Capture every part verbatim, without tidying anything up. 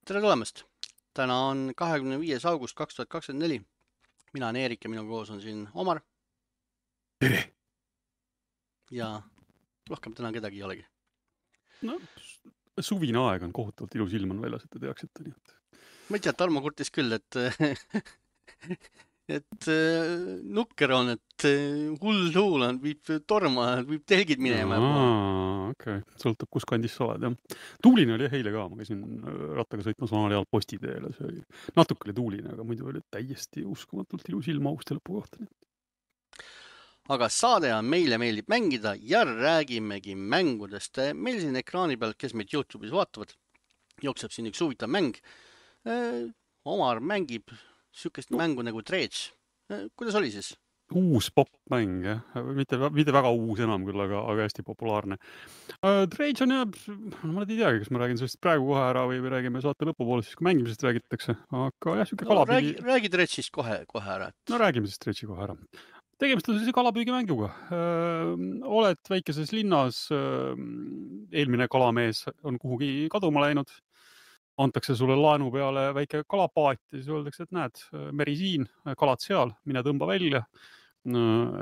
Tere tulemast! Täna on kahekümne viies august kaks tuhat kakskümmend neli. Mina olen Eerik ja minu koos on siin Omar Tere! ja rohkem täna kedagi ei olegi. No, suvine aeg on kohutavalt ilus ilm on väljas, et te teaksite nii, et... Ma ei tea, Tarmo kurtis küll, et et nukker on, et hull tuul on, viib torma, viib telgid minema juba. Aa, okei. Okay. Sõltub, kus kandis sa oled, jah. Tuuline oli eile ka, ma käisin rattaga sõitmas vanal ajal postiteele, see oli natuke oli tuuline, aga muidu oli täiesti uskumatult ilus ilm augusti lõpu kohta. Aga saade on Meile meeldib mängida ja räägimegi mängudest. Meil siin ekraani peal, kes meid YouTube'is vaatavad, jookseb siin üks huvitav mäng. Omar mängib sükest mängu nagu Dredge. Kuidas oli siis? Uus popmäng, jah. Mitte, mitte väga uus enam küll, aga, aga hästi populaarne. Dredge on jah, ma ei teagi, kas ma räägin sellest praegu kohe ära või räägime saate lõpupoole, siis kui mängimisest räägitakse. Aga jah, süke no, kalapüügi... Räägi, räägi Dredge'ist kohe, kohe ära. Et... No räägime siis Dredge'i kohe ära. Tegemist on sellise kalapüügimänguga. Öö, oled väikeses linnas, öö, eelmine kalamees on kuhugi kaduma läinud, antakse sulle laenu peale väike kalapaat ja siis öeldakse, et näed, meri siin, kalad seal, mine tõmba välja,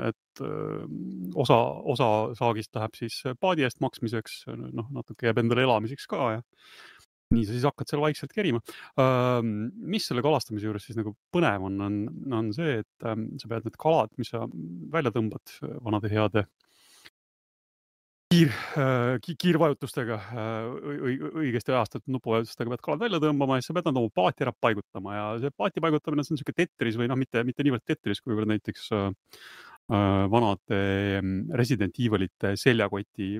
et öö, osa, osa saagist läheb siis paadi eest maksmiseks, noh, natuke jääb endale elamiseks ka ja nii sa siis hakkad seal vaikselt kerima. Mis selle kalastamise juures siis nagu põnev on, on, on see, et sa pead need kalad, mis sa välja tõmbad vanade heade kiir, kiirvajutustega, õigesti ajastatud nupuvajutustega pead kalad välja tõmbama ja sa pead nad oma paati ära paigutama ja see paati paigutamine on selline Tetris või noh, mitte, mitte niivõrd Tetris, kuivõrd näiteks vanade Resident Evilite seljakoti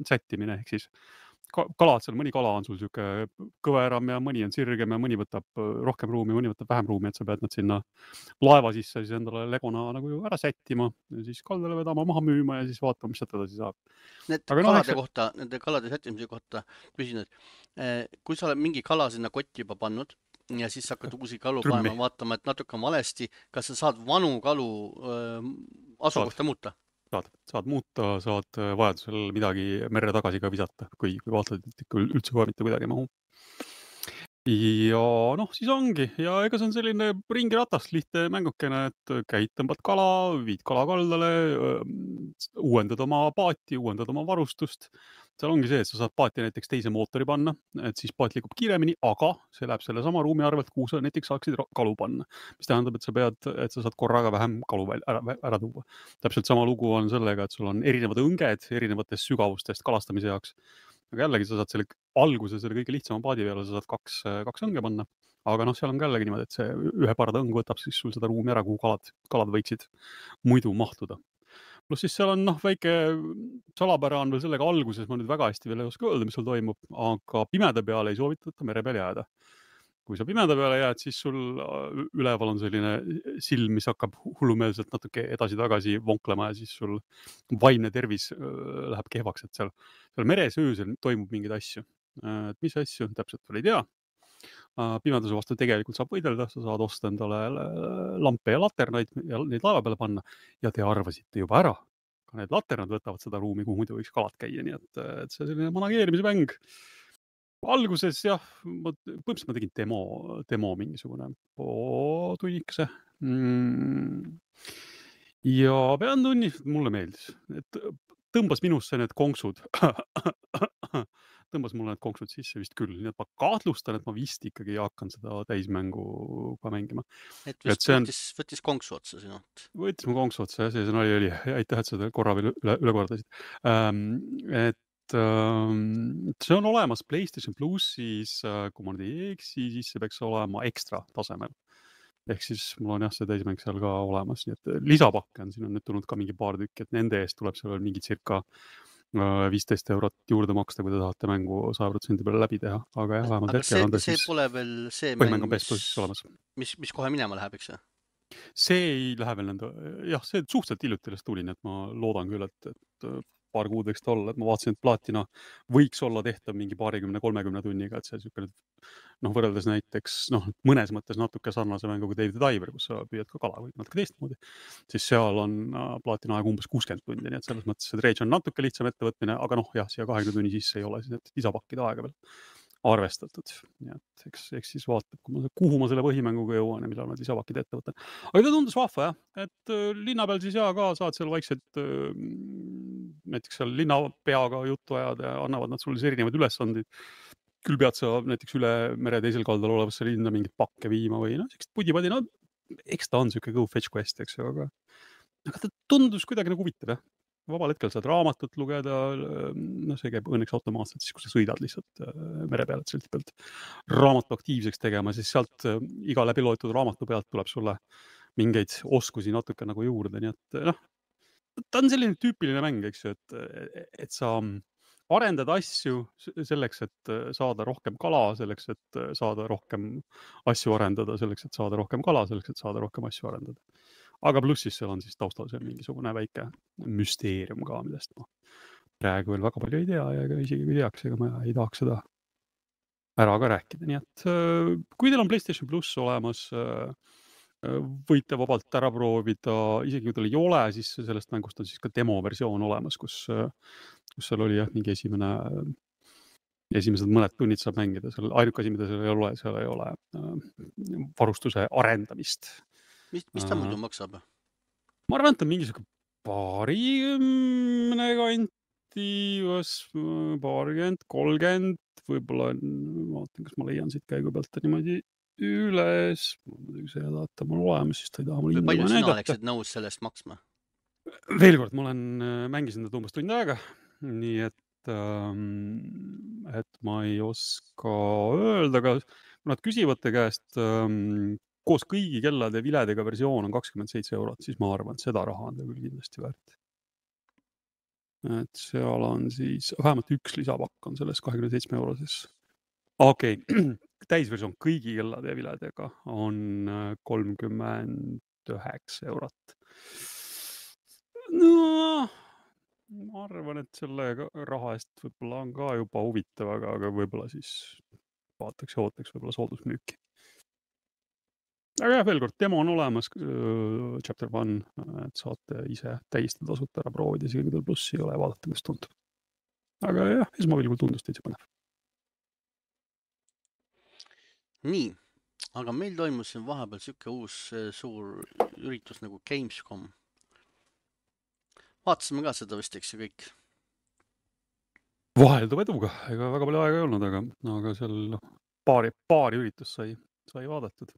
sättimine, ehk siis kalad seal, mõni kala on sul siuke kõveram ja mõni on sirgem ja mõni võtab rohkem ruumi, mõni võtab vähem ruumi, et sa pead nad sinna laeva sisse siis endale legona nagu ära sättima ja siis kaldale vedama, maha müüma ja siis vaatama, mis sealt edasi saab. Need Aga kalade no, eks... kohta, nende kalade sättimise kohta küsin, et kui sa oled mingi kala sinna kotti juba pannud ja siis hakkad uusi kalu Trümmi. panema, vaatama, et natuke on valesti, kas sa saad vanu kalu öö, asukohta saad. muuta? Saad, saad muuta, saad vajadusel midagi merre tagasi ka visata, kui, kui vaatad, et ikka üldse kohe mitte kuidagi mahu. Ja noh, siis ongi. Ja ega see on selline ringiratast lihtne mängukene, et käid, tõmbad kala, viid kala kaldale, uuendad oma paati, uuendad oma varustust. Seal ongi see, et sa saad paati näiteks teise mootori panna, et siis paat liigub kiiremini, aga see läheb selle sama ruumi arvelt, kuhu sa näiteks saaksid kalu panna. Mis tähendab, et sa pead, et sa saad korraga vähem kalu ära, ära tuua. Täpselt sama lugu on sellega, et sul on erinevad õnged erinevatest sügavustest kalastamise jaoks. Aga jällegi sa saad selle alguse, selle kõige lihtsama paadi peale, sa saad kaks, kaks õnge panna. Aga noh, seal on ka jällegi niimoodi, et see ühe parda õng võtab siis sul seda ruumi ära, kuhu kalad, kalad võiksid muidu mahtuda. Plus siis seal on noh, väike salapära on veel sellega alguses, ma nüüd väga hästi veel ei oska öelda, mis sul toimub, aga pimeda peale ei soovitata mere peal jääda. Kui sa pimeda peale jääd, siis sul üleval on selline silm, mis hakkab hullumeelselt natuke edasi-tagasi vonklema ja siis sul vaimne tervis läheb kehvaks, et seal, seal meres öösel toimub mingeid asju. Et mis asju, täpselt veel ei tea. Pimeduse vastu tegelikult saab võidelda, sa saad osta endale lampe ja laternaid ja neid laeva peale panna ja te arvasite juba ära. Ka need laternad võtavad seda ruumi, kuhu muidu võiks kalad käia, nii et, et see selline manageerimise mäng. Alguses jah, ma, põhimõtteliselt ma tegin demo, demo mingisugune tunnikese. Mm. Ja pean tunnistama, mulle meeldis, et tõmbas minusse need konksud. Tõmbas mulle need konksud sisse vist küll, nii et ma kahtlustan, et ma vist ikkagi hakkan seda täismängu ka mängima. Et vist et võttis, on... võttis konksu otsa sinult. Võttis mu konksu otsa, jah, see sõna oli, aitäh, et seda korra veel üle, üle kordasid. Ähm, et ähm, see on olemas PlayStation Plussis, kui ma nüüd ei eksi, siis see peaks olema ekstra tasemel. Ehk siis mul on jah, see täismäng seal ka olemas, nii et lisapakke on, siin on nüüd tulnud ka mingi paar tükki, et nende eest tuleb seal mingi circa viisteist eurot juurde maksta, kui te tahate mängu sada protsenti peale läbi teha, aga jah, vähemalt hetkel on ta siis... See pole veel see mäng, mäng, mis, mis, mis kohe minema läheb, eks? See ei lähe veel nende... Jah, see suhteliselt hiljuti sellest tuli, nii et ma loodan küll, et, et paar kuud võiks ta olla, et ma vaatasin, et plaatina võiks olla tehtav mingi paarikümne, kolmekümne tunniga, et see niisugune noh, võrreldes näiteks noh, mõnes mõttes natuke sarnase mänguga Dave the Diver, kus sa püüad ka kala või natuke teistmoodi, siis seal on plaatina aeg umbes kuuskümmend tundi, nii et selles mõttes see Dredge on natuke lihtsam ettevõtmine, aga noh, jah, siia kahekümne tunni sisse ei ole siis need lisapakkide aega veel. arvestatud. Nii et eks, eks siis vaatab, kui ma, kuhu ma selle põhimänguga jõuan ja millal ma lisavakid ette võtan. Aga ta tundus vahva jah, et linna peal siis jaa ka saad seal vaikselt näiteks seal linnapeaga juttu ajada ja annavad nad sulle siis erinevaid ülesandid. Küll pead sa näiteks üle mere teisel kaldal olevasse linna mingit pakke viima või noh, sellist pudi-padi, no eks ta on siuke go fetch quest, eks ju, aga, aga ta tundus kuidagi nagu huvitav jah. Vabal hetkel saad raamatut lugeda, no see käib õnneks automaatselt, siis kui sa sõidad lihtsalt mere peal, et silti pealt raamatu aktiivseks tegema, siis sealt iga läbi loetud raamatu pealt tuleb sulle mingeid oskusi natuke nagu juurde, nii et noh, ta on selline tüüpiline mäng, eks ju, et, et sa arendad asju selleks, et saada rohkem kala, selleks, et saada rohkem asju arendada, selleks, et saada rohkem kala, selleks, et saada rohkem asju arendada. Aga plussis seal on siis taustal see mingisugune väike müsteerium ka, millest ma praegu veel väga palju ei tea ja isegi kui teaks, ega ma ei tahaks seda ära ka rääkida. Nii et kui teil on PlayStation Plus olemas, võite vabalt ära proovida, isegi kui teil ei ole, siis sellest mängust on siis ka demo versioon olemas, kus, kus seal oli jah, mingi esimene, esimesed mõned tunnid saab mängida, seal ainuke asi, mida seal ei ole, seal ei ole varustuse arendamist. Mis, mis ta muidu maksab? Ma arvan, et on mingisugune paarikümne kanti, paarikümmend, kolmkümmend, võib-olla vaatan, kas ma leian siit käigu pealt niimoodi üles. Muidugi see häda, et ta mul olemas, siis ta ei taha mul inda palju sina oleksid nõus sellest maksma? Veel kord, ma olen mängisin ta umbes tund aega, nii et, et ma ei oska öelda, aga kui nad küsivad te käest koos kõigi kellade viledega versioon on kakskümmend seitse eurot, siis ma arvan, et seda raha on ta küll kindlasti väärt. Et seal on siis, vähemalt üks lisapakk on selles kahekümne seitsme euroses. Okei, okay. Täisversioon kõigi kellade viledega on kolmkümmend üheksa eurot. No, ma arvan, et selle raha eest võib-olla on ka juba huvitav, aga, aga võib-olla siis vaataks ja ootaks võib-olla soodusmüüki. Aga jah, veel kord, demo on olemas, chapter one, et saate ise täiesti tasuta ära proovida, isegi kui teil plussi ei ole, vaadata, mis tundub. Aga jah, esmapilgul tundus täitsa põnev. Nii, aga meil toimus siin vahepeal siuke uus suur üritus nagu Gamescom. Vaatasime ka seda vist, eks ju kõik. Vahelduv eduga, ega väga palju aega ei olnud, aga, aga seal paari, paari üritus sai, sai vaadatud.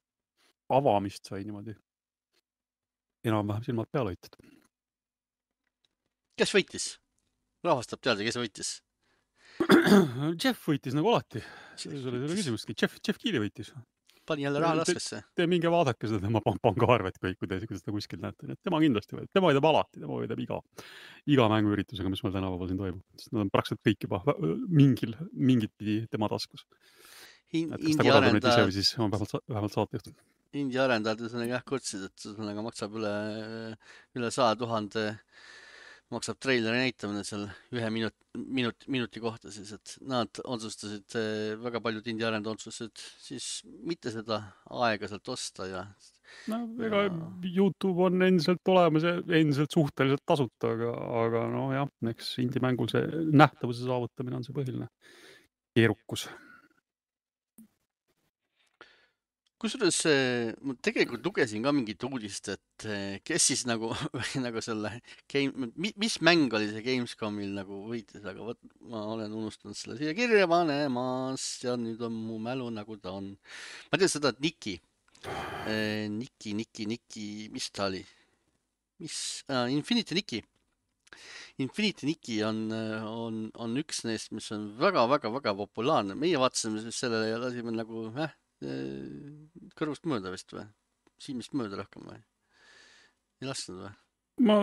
Avamist sai niimoodi enam-vähem silmad peale hoitud. Kes võitis? Rahvastab teada, kes võitis? Jeff võitis nagu alati. See oli selle küsimustki. Jeff, Jeff Keely võitis. Pani jälle raha laskesse. Te, te minge vaadake seda tema pangaarvet kõik, kui te seda kuskil näete. Tema kindlasti võidab. Tema võidab alati. Tema võidab iga, iga mänguüritusega, mis meil tänapäeval siin toimub. Nad on praktiliselt kõik juba mingil, mingit pidi tema taskus. In, Indi arendajad, siis on vähemalt, vähemalt saatejuht. Indi arendajad ühesõnaga jah kurtsid, et ühesõnaga maksab üle, üle saja tuhande maksab treileri näitamine seal ühe minut, minut, minuti kohta siis, et nad otsustasid, väga paljud Indi arendajad otsustasid siis mitte seda aega sealt osta ja... No, ega ja... YouTube on endiselt olemas ja endiselt suhteliselt tasuta, aga, aga no jah, eks Indi mängul see nähtavuse saavutamine on see põhiline keerukus. Kusjuures ma tegelikult lugesin ka mingit uudist, et kes siis nagu, nagu selle game, mis mäng oli see Gamescomil nagu võitis, aga võt, ma olen unustanud selle siia kirja panemas ja nüüd on mu mälu nagu ta on. Ma tean seda, et Niki, Niki, Niki, Niki, mis ta oli? Mis? Ah, Infinity Niki. Infinity Niki on, on, on üks neist, mis on väga, väga, väga populaarne. Meie vaatasime sellele ja lasime nagu, äh, kõrvust mööda vist või? Silmist mööda rohkem või? Ei lasknud või? Ma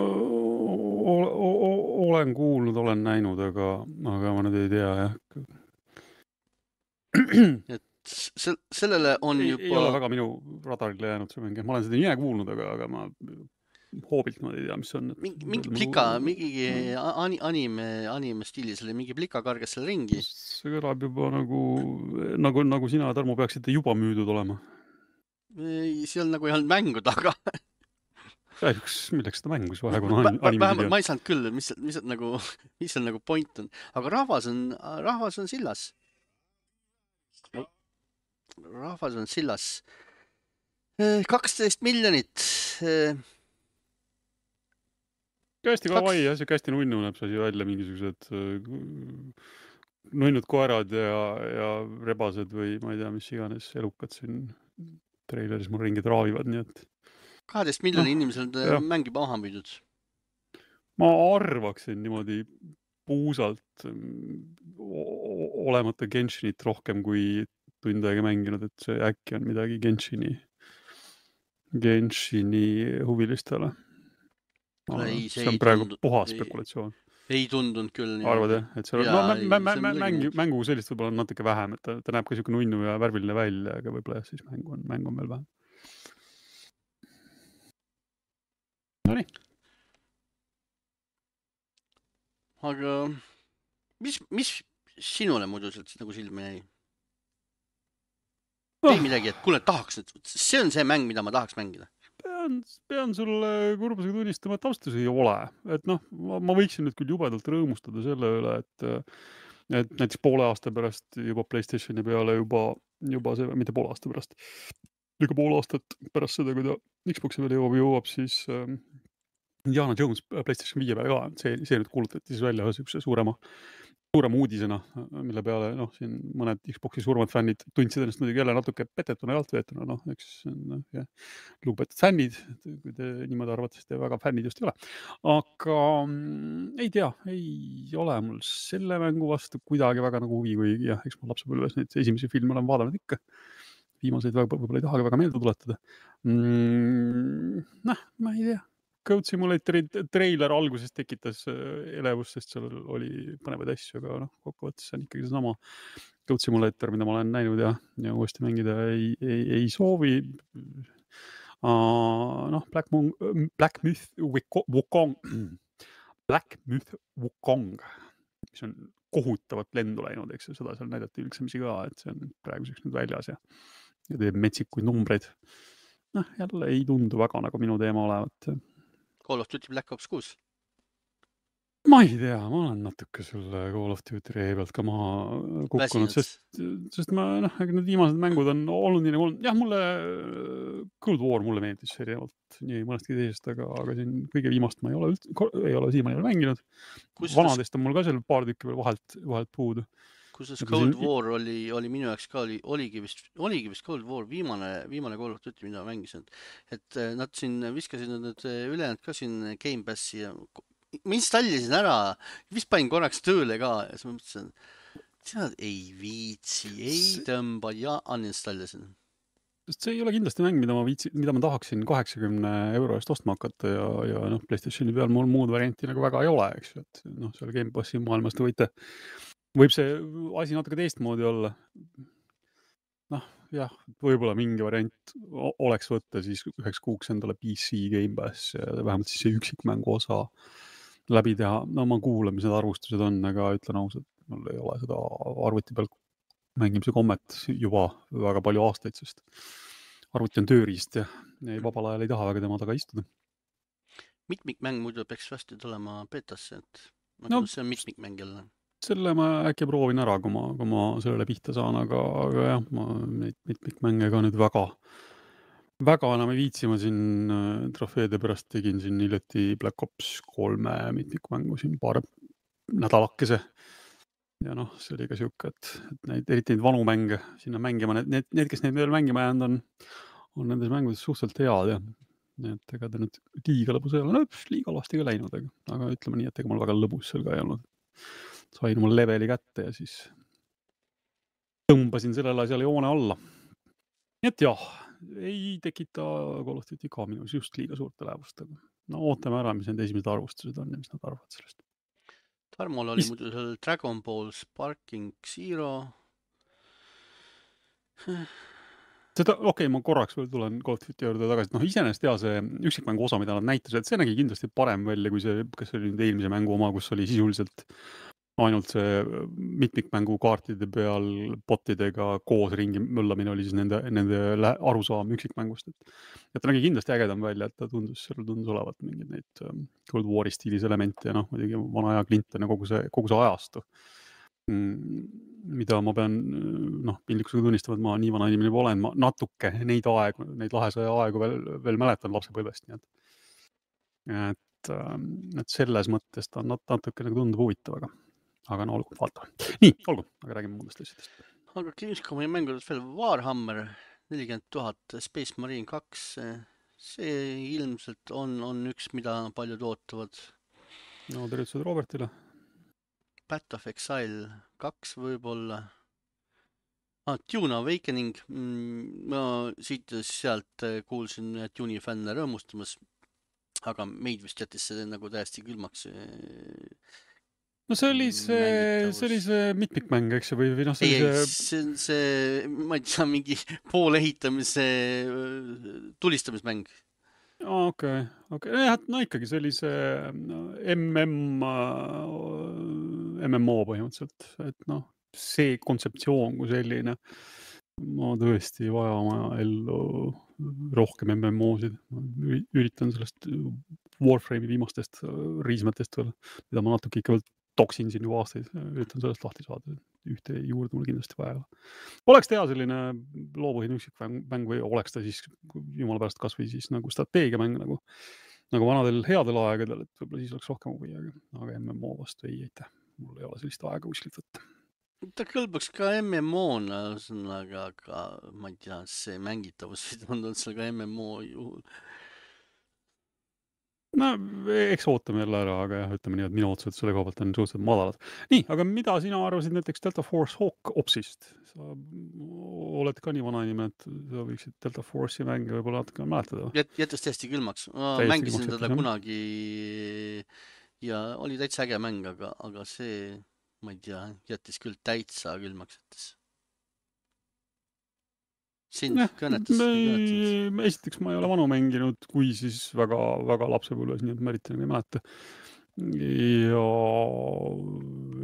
olen kuulnud, olen näinud, aga, aga ma nüüd ei tea, jah. Et se sellele on ei, juba... Ei ole väga minu radarile jäänud see mingi. Ma olen seda nime kuulnud, aga, aga ma hoobilt ma ei tea, mis on. Mingi, mingi plika, mingi anime, anime stiilis oli, mingi plika kargas selle ringi. See kõlab juba nagu, nagu, nagu sina, Tarmo, peaksite juba müüdud olema. Seal nagu ei olnud mängu taga. Üks, milleks seda mängus vahe, kui on anime video. Ma ei saanud küll, mis, mis, nagu, mis seal nagu point on. Aga rahvas on, rahvas on sillas. rahvas on sillas. kaksteist miljonit. hästi Kaks- kawaii ja siuke hästi nunnu näeb see asi välja, mingisugused äh, nunnud koerad ja, ja rebased või ma ei tea, mis iganes elukad siin treileris mul ringi traavivad, nii et kaheteist miljoni Noh, inimesel on jah. mäng juba maha müüdud. ma arvaksin niimoodi puusalt mm, o- olemata Genshinit rohkem kui tund aega mänginud, et see äkki on midagi Genshini, Genshini huvilistele. Kuule, ei, see see on ei praegu tundu- puhas ei- spekulatsioon. Ei tundunud küll niimoodi. Arvad jah, et seal on, Jaa, no ei, mä- mä- see on mä- midagi mängu, muud. mängu sellist võib-olla on natuke vähem, et ta, ta näeb ka siuke nunnu ja värviline välja, aga võib-olla jah, siis mäng on, mäng on veel vähem. Nonii. Aga mis, mis sinule muidu sealt siis nagu silma jäi? Oh. Ei midagi, et kuule, tahaks nüüd, see on see mäng, mida ma tahaks mängida. Pean, pean sulle kurbusega tunnistama, et austus ei ole. Et noh, ma, ma võiksin nüüd küll jubedalt rõõmustada selle üle, et, et näiteks poole aasta pärast juba PlayStationi peale juba, juba see, mitte poole aasta pärast, ikka pool aastat pärast seda, kui ta Xboxi peale jõuab, jõuab siis ähm, Indiana Jones PlayStation viie peale ka. See, see nüüd kuulutati siis välja ühe suurema, suurema uudisena, mille peale noh, siin mõned Xboxi suuremad fännid tundsid ennast muidugi jälle natuke petetuna ja altveetuna, noh, eks no, lugupeetud fännid, kui te niimoodi arvate, siis te väga fännid just ei ole. Aga mm, ei tea, ei ole mul selle mängu vastu kuidagi väga nagu huvi, kui jah, eks ma lapsepõlves neid esimesi filme olen vaadanud ikka. Viimaseid võib-olla ei tahagi väga meelde tuletada. Mm, noh, ma ei tea. Code Simulatory treiler alguses tekitas elevust, sest seal oli põnevaid asju, aga noh, kokkuvõttes on ikkagi seesama Code Simulator, mida ma olen näinud ja, ja uuesti mängida ei, ei, ei soovi. Uh, noh, Black, Moon, Black Myth Wukong, Black Myth Wukong, mis on kohutavat lendu läinud, eks seda seal näidati ülksemisi ka, et see on praeguseks nüüd väljas ja, ja teeb metsikuid numbreid. Noh, jälle ei tundu väga nagu minu teema olevat. Call of Duty Black Ops kuus. Ma ei tea, ma olen natuke selle Call of Duty ree pealt ka maha kukkunud, sest, sest ma, noh, need viimased mängud on olnud nii nagu, jah, mulle Cold War mulle meeldis erinevalt nii mõnestki teisest, aga, aga siin kõige viimast ma ei ole üldse, ei ole siiamaani ole mänginud. Vanadest on mul ka seal paar tükki veel vahelt, vahelt puudu. Kusjuures Cold siin... War oli, oli minu jaoks ka, oli, oligi vist, oligi vist Cold War viimane, viimane Call of Duty, mida mängisin. Et nad siin viskasid nüüd ülejäänud ka siin Game Passi ja ma installisin ära, vist panin korraks tööle ka ja siis ma mõtlesin, tead, ei viitsi, ei tõmba ja uninstallisin. Sest see ei ole kindlasti mäng, mida ma viitsi, mida ma tahaksin kaheksakümne euro eest ostma hakata ja, ja noh, PlayStationi peal mul muud varianti nagu väga ei ole, eks ju, et noh, seal Game Passi maailmas te võite võib see asi natuke teistmoodi olla. Noh, jah, võib-olla mingi variant oleks võtta siis üheks kuuks endale P C Game Pass ja vähemalt siis see üksikmängu osa läbi teha. No ma kuulan, mis need arvustused on, aga ütlen ausalt, mul ei ole seda arvuti peal mängimise kommet juba väga palju aastaid, sest arvuti on tööriist ja ei, vabal ajal ei taha väga tema taga istuda. Mitmikmäng muidu peaks vasti tulema betasse, et no, see on mitmikmäng jälle. Selle ma äkki proovin ära, kui ma, kui ma sellele pihta saan, aga, aga jah, ma neid mitmikmänge ka nüüd väga, väga enam ei viitsi. Ma siin trofeede pärast tegin siin hiljuti Black Ops kolme mitmikmängu siin paar nädalakese. Ja noh, see oli ka siuke, et, et neid, eriti neid vanu mänge sinna mängima, need, need, need kes neid veel mängima jäänud on, on nendes mängudes suhteliselt head ja nii et ega ta nüüd liiga lõbus ei ole, no liiga lasti ka läinud, aga, aga ütleme nii, et ega mul väga lõbus seal ka ei olnud. Sain mul leveli kätte ja siis tõmbasin sellele asjale joone alla. Nii et jah, ei tekita Call of Duty ka minus just liiga suurte lähevust, aga no ootame ära, mis need esimesed arvustused on ja mis nad arvavad sellest. Tarmol oli mis... muidu seal Dragon Ball Sparking Zero. Seda, okei, okay, ma korraks veel tulen Call of Duty juurde tagasi. Noh, iseenesest ja see üksikmängu osa, mida nad näitasid, see nägi kindlasti parem välja kui see, kas oli nüüd eelmise mängu oma, kus oli sisuliselt ainult see mitmikmängu kaartide peal botidega koos ringi möllamine oli siis nende, nende arusaam üksikmängust. Et, et ta nägi kindlasti ägedam välja, et ta tundus, seal tundus olevat mingid neid Cold War'i stiilis elemente ja noh, muidugi vana aja Clinton ja kogu see, kogu see ajastu. mida ma pean noh, piinlikkusega tunnistama, et ma nii vana inimene olen, ma natuke neid aegu, neid lahesaja aegu veel, veel mäletan lapsepõlvest, nii et, et, et selles mõttes ta nat-, natuke nagu tundub huvitav, aga, aga no olgu, vaatame. Nii, olgu, aga räägime muudest asjadest. Aga Gamescomi mängudest veel Warhammer nelikümmend tuhat Space Marine kaks, see ilmselt on, on üks, mida paljud ootavad. No tervitused Robertile. Path of Exile kaks võib-olla. Ah, Dune Awakening. Ma siit ja sealt kuulsin Dune'i fänne rõõmustamas, aga meid vist jättis see nagu täiesti külmaks. No see oli see, see oli see mitmikmäng, eks ju, või, või noh, see ei, oli see... see, see, ma ei tea, mingi pool ehitamise tulistamismäng. Okei, okei. No ikkagi see oli see M M, M M O põhimõtteliselt, et noh, see kontseptsioon kui selline, ma tõesti vaja oma ellu rohkem M M O-sid. Üritan sellest Warframe'i viimastest riismetest veel, mida ma natuke ikka veel toksin siin juba aastaid, üritan sellest lahti saada. Ühte juurde mul kindlasti vaja. Oleks teha selline loopõhine üksikmäng või oleks ta siis jumala pärast kas või siis nagu strateegiamäng nagu, nagu vanadel headel aegadel, et võib-olla siis oleks rohkem huvi, aga, aga M M O vastu ei eitäh. Mul ei ole sellist aega kuskilt võtta. Ta kõlbaks ka M M O-na, aga, aga ma ei tea, see mängitavus ei tundunud seal ka M M O juhul. No, eks ootame jälle ära, aga jah, ütleme nii, et minu otsused selle koha pealt on suhteliselt madalad. Nii, aga mida sina arvasid näiteks Delta Force Hawk Opsist? Sa oled ka nii vana inimene, et sa võiksid Delta Force'i mänge võib-olla natuke mäletada. Jät, jättes täiesti külmaks. Ma täiesti mängisin teda kunagi ja oli täitsa äge mäng, aga, aga see, ma ei tea, jättis küll täitsa külmaks jättis. Sind ja, kõnetas. Me, esiteks ma ei ole vanu mänginud, kui siis väga, väga lapsepõlves, nii et ma eriti ei mäleta. Ja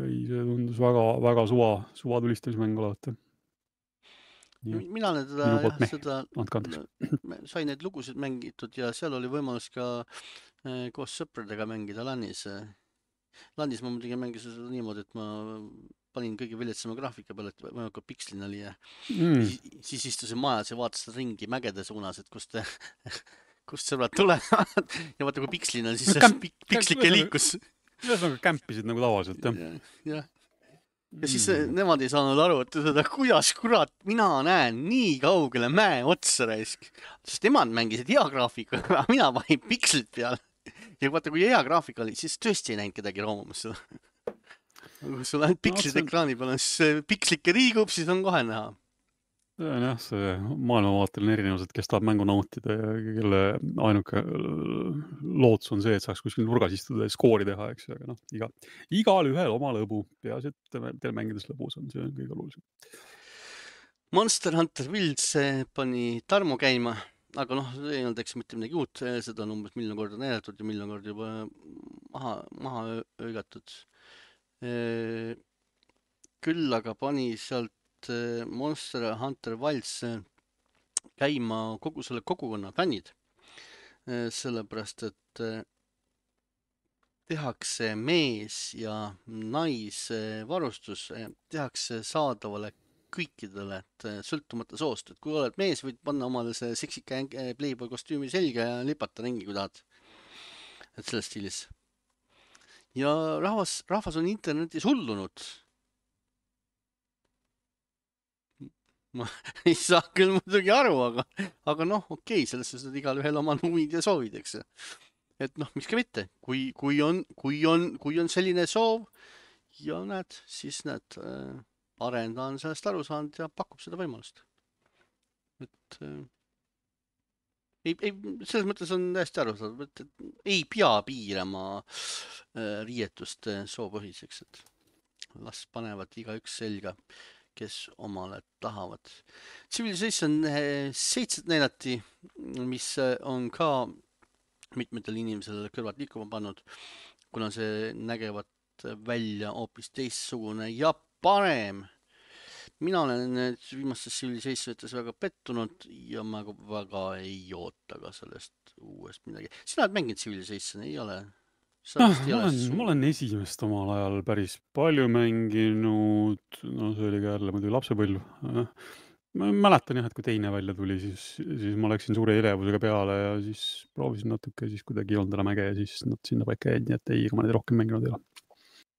ei, see tundus väga, väga suva, suva tulistamismäng olevat. Mina olen teda, jah, seda, sain neid lugusid mängitud ja seal oli võimalus ka koos sõpradega mängida LANis. LANis ma muidugi mängisin seda niimoodi, et ma panin kõige viletsama graafika peale, et väga pikslin oli ja mm. siis, siis istusin majas ja vaatasin ringi mägede suunas, et kust, kust sõbrad tulevad ja vaata, kui pikslin on, siis no, pik, pikslike liikus. Ühesõnaga kämpisid nagu tavaliselt, jah? Ja, ja. ja siis mm. nemad ei saanud aru, et seda, kuidas kurat mina näen nii kaugele mäe otsa raisk. Sest nemad mängisid hea graafika, mina panin pikslit peale. Ja vaata, kui hea graafika oli, siis tõesti ei näinud kedagi roomumas seda. Kui sul ainult pikslid no, ekraani peal on, siis pikslike liigub, siis on kohe näha. See on jah, see maailmavaateline erinevused, kes tahab mängu nautida ja kelle ainuke lootus on see, et saaks kuskil nurgas istuda ja skoori teha, eks ju, aga noh, iga, igal ühel oma lõbu. Peaasi, et teil mängides lõbus on, see on kõige olulisem. Monster Hunter Wilds pani Tarmo käima, aga noh, ei olnud eks mitte midagi uut, seda on umbes miljon korda näidatud ja miljon korda juba maha, maha öögatud. Küll aga pani sealt Monster Hunter Wilds käima kogu selle kogukonna fännid, sellepärast et tehakse mees ja naise varustus, tehakse saadavale kõikidele, et sõltumata soost, et kui oled mees, võid panna omale see seksika Playboy kostüümi selga ja lipata ringi, kui tahad. Et selles stiilis. Ja rahvas, rahvas on internetis hullunud. Ma ei saa küll muidugi aru, aga, aga noh, okei, selles suhtes igal ühel oma huvid ja soovid, eks. Et noh, miks ka mitte, kui, kui on, kui on, kui on selline soov ja näed, siis näed, arendaja on sellest aru saanud ja pakub seda võimalust. Et äh, ei, ei, selles mõttes on täiesti aru saanud, et, et ei pea piirama äh, riietust äh, soopõhiseks, et las panevad igaüks selga, kes omale tahavad. Civilization seitse näidati, mis on ka mitmetel inimesel kõrvad liikuma pannud, kuna see nägevat välja hoopis teistsugune ja parem. Mina olen viimastes Civilization'ites väga pettunud ja ma väga ei oota ka sellest uuest midagi. Sina oled mänginud Civilization, ei ole? sa vist ei ma ole olen, suu- ma olen esimest omal ajal päris palju mänginud, no see oli ka jälle muidugi lapsepõlv. Ma mäletan jah, et kui teine välja tuli, siis, siis ma läksin suure elevusega peale ja siis proovisin natuke, siis kuidagi ei olnud enam äge ja siis nad sinna paika jäid, nii et ei, ega ma neid rohkem mänginud ei ole.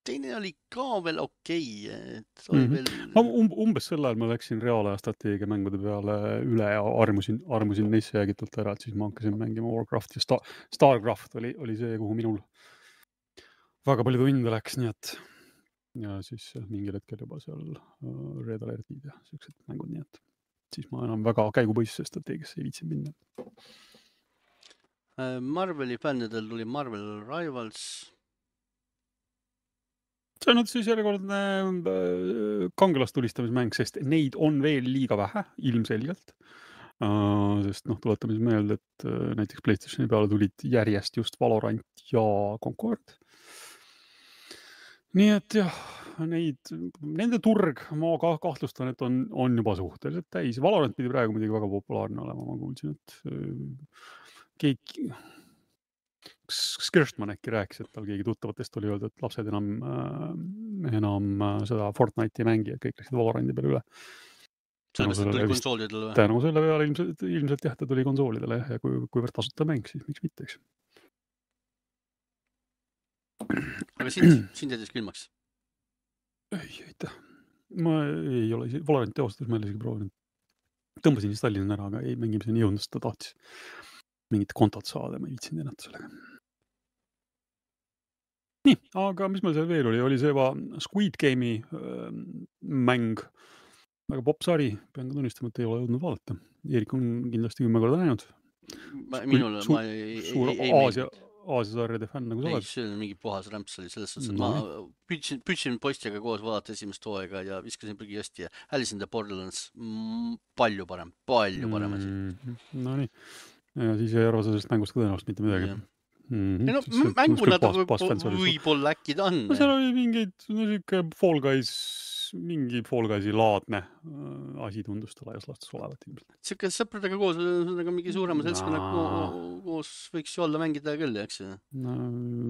teine oli ka veel okei okay,, et mm oli -hmm. veel. ma um, umbes sel ajal ma läksin reaalaja strateegia mängude peale üle ja armusin, armusin neisse jäägitult ära, et siis ma hakkasin mängima Warcrafti ja Star, Starcraft oli, oli see, kuhu minul väga palju tunde läks, nii et ja siis mingil hetkel juba seal uh, Red Alertid ja siuksed mängud, nii et siis ma enam väga käigupõhisesse strateegiasse ei viitsi minna. Marveli fännidel tuli Marvel Rivals. see on nüüd siis järjekordne äh, kangelastulistamismäng, sest neid on veel liiga vähe, ilmselgelt. Uh, sest noh, tuletame siis meelde, et uh, näiteks PlayStationi peale tulid järjest just Valorant ja Concord. nii et jah, neid, nende turg, ma ka kahtlustan, et on, on juba suhteliselt täis. Valorant pidi praegu muidugi väga populaarne olema, ma kuulsin, et uh, keegi, Skirstman äkki rääkis, et tal keegi tuttavatest oli öeldud, et lapsed enam, äh, enam äh, seda Fortnite'i ei mängi, et kõik läksid Valorandi peale üle. sellepärast, et tuli konsoolidele või? tänu selle peale ilmselt, ilmselt jah, ta tuli konsoolidele ja kui, kuivõrd tasuta mäng, siis miks mitte, eks. aga sind, sind jättis külmaks? ei, aitäh. ma ei ole isegi, Valoranti ausalt, ma ei ole isegi proovinud. Tõmbasin installin ära, aga ei mängimiseni jõudnud, ta tahtis mingit kontot saada, ma ei viitsinud ennast sellega. nii, aga mis meil seal veel oli, oli see juba Squid Game'i äh, mäng, väga popp sari, pean ka tunnistama, et ei ole jõudnud vaadata. Eerik on kindlasti kümme korda näinud. minul, suur, ma ei, suur ei, ei Aasia, Aasia sarjade fänn nagu sa oled. ei, see on mingi puhas rämps oli selles suhtes, et no, ma püüdsin, püüdsin poistega koos vaadata esimest hooaega ja viskasin prügikasti ja Alice in the Borderlands mm, palju parem, palju parem asi. Mm, no nii, ja siis ei arva sellest mängust ka tõenäoliselt mitte midagi. Yeah. Mm-hmm. ei no mänguna ta võib-olla äkki ta on. no seal oli mingeid, no siuke Fall Guys, mingi Fall Guysi laadne äh, asi tundus ta laias laastus olevat ilmselt. siuke sõpradega koos, nagu mingi suurema seltskonnaga koos võiks ju olla mängida küll, eks ju. no,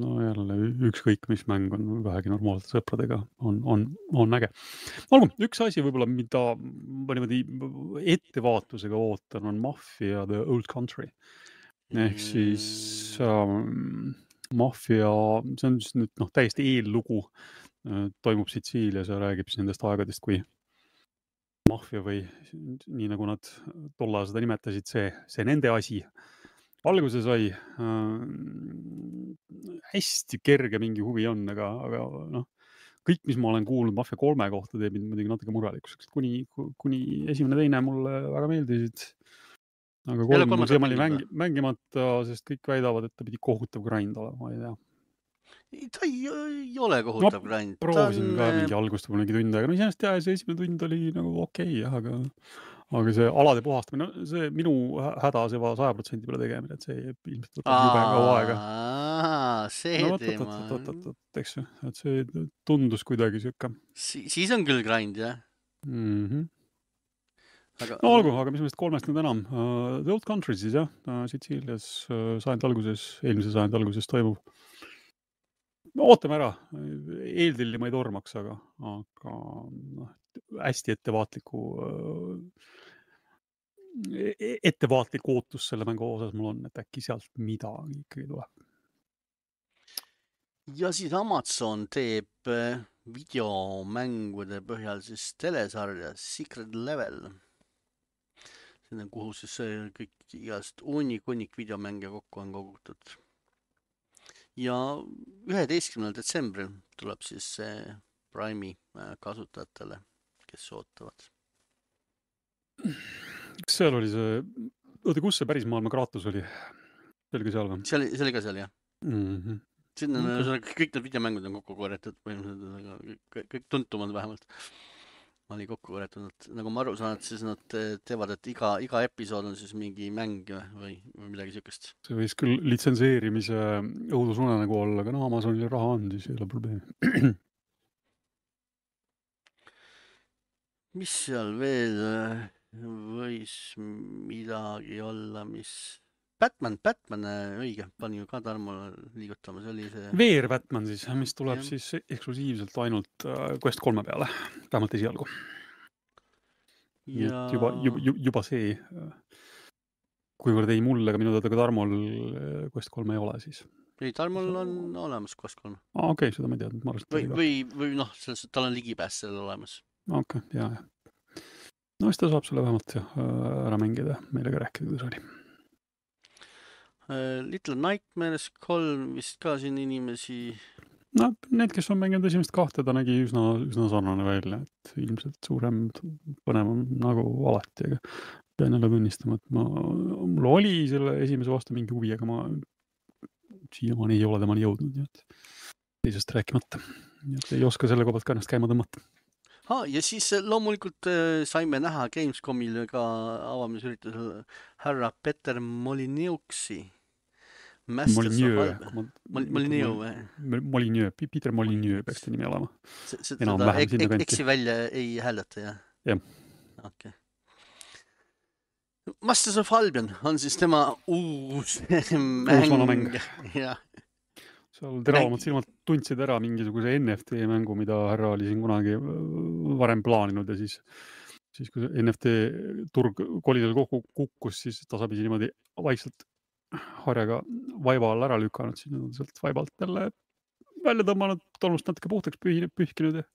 no jälle ükskõik mis mäng on vähegi normaalselt sõpradega on, on, on äge. olgu, üks asi võib-olla, mida ma niimoodi ettevaatusega ootan, on Mafia The Old Country. ehk siis ähm, Mafia, see on siis nüüd noh, täiesti eellugu, toimub Sitsiilias ja räägib siis nendest aegadest, kui Mafia või nii nagu nad tollal seda nimetasid, see, see nende asi alguse sai. äh, hästi kerge mingi huvi on, aga, aga noh, kõik, mis ma olen kuulnud Mafia kolme kohta, teeb mind muidugi natuke murelikuks, kuni, kuni esimene teine mulle väga meeldisid. aga kolm mul siiamaani mängi, mängimata, sest kõik väidavad, et ta pidi kohutav grind olema, ma ei tea. ta ei, ei ole kohutav no, grind. proovisin on... ka mingi algust võib-olla mingi tund aega, no iseenesest jah, see esimene tund oli nagu okei okay, jah, aga aga see alade puhastamine, no see minu häda see saja protsendi peale tegemine, et see ilmselt võtab jube kaua aega. see no, teema. eks ju, et see tundus kuidagi siuke. Si siis on küll grind, jah? Mhm. Aga, no olgu, aga mis meist kolmest nüüd enam. Uh, The Old Country siis jah, uh, Sitsiilias uh, sajandi alguses, eelmise sajandi alguses toimub. ootame ära, eeltilli ma ei tormaks, aga, aga noh, hästi ettevaatliku uh, ettevaatlik ootus selle mängu osas mul on, et äkki sealt midagi ikkagi tuleb. ja siis Amazon teeb videomängude põhjal siis telesarja Secret Level. kuhu siis kõik igast hunnik-hunnik videomänge kokku on kogutud. ja üheteistkümnendal detsembril tuleb siis see Prime'i kasutajatele, kes ootavad. Kas seal oli see, oota, kus see päris maailma Kratos oli? See oli ka seal või? See oli, see oli ka seal, jah. Mm-hmm. Sinna okay. Kõik need videomängud on kokku korjatud, kõik, kõik tuntumad vähemalt. oli kokku korjatunud, nagu ma aru saan, et siis nad teevad, et iga, iga episood on siis mingi mäng või, või midagi siukest. See võis küll litsenseerimise õudusunenägu olla, aga no Amazonil raha on, siis ei ole probleemi. mis seal veel võis midagi olla, mis Batman, Batman, õige, pani ju ka Tarmo liigutama, see oli see... Veer Batman siis, mis tuleb Jah. siis eksklusiivselt ainult Quest kolme peale, vähemalt esialgu. Nii Ja... et juba, juba, juba see, kuivõrd ei mulle ka minu teada ka Tarmol Quest kolme ei ole siis. Ei, Tarmol on olemas Quest kolm. Aa, okei, okay, seda ma ei teadnud. Ma või, või, või noh, tal on ligipääs sellele olemas. Okei, okay, jaa, jah. No siis ta saab selle vähemalt jah, ära mängida, meile ka rääkida, kuidas oli. Little Nightmares kolm vist ka siin inimesi... No need, kes on mänginud esimest kahte, ta nägi üsna, üsna sarnane välja, et ilmselt suurem põnevam nagu alati, aga pean jälle tunnistama, et ma, mul oli selle esimese vastu mingi huvi, aga ma siiamaani ei ole temani jõudnud, nii et teisest rääkimata. Nii et ei oska selle kohalt ka ennast käima tõmmata. Ha, ja siis loomulikult saime näha Gamescomil ka avamisüritusel härra Peter Molyneuxi. Molyneux. Molyneux. Molyneux, Peter Molyneux peaks ta nimi olema. Seda eksi välja ei hääleta, jah? Jah. Okei. Masters of Albion on siis tema uus mäng. Jah. Seal teravamad silmad tundsid ära mingisuguse N F T mängu, mida härra oli siin kunagi varem plaaninud ja siis, siis kui N F T turg kolidel kokku kukkus, siis tasapisi niimoodi vaikselt harjaga vaiba all ära lükanud, siis on sealt vaibalt jälle välja tõmmanud, tolmust natuke puhtaks pühkinud. Ja,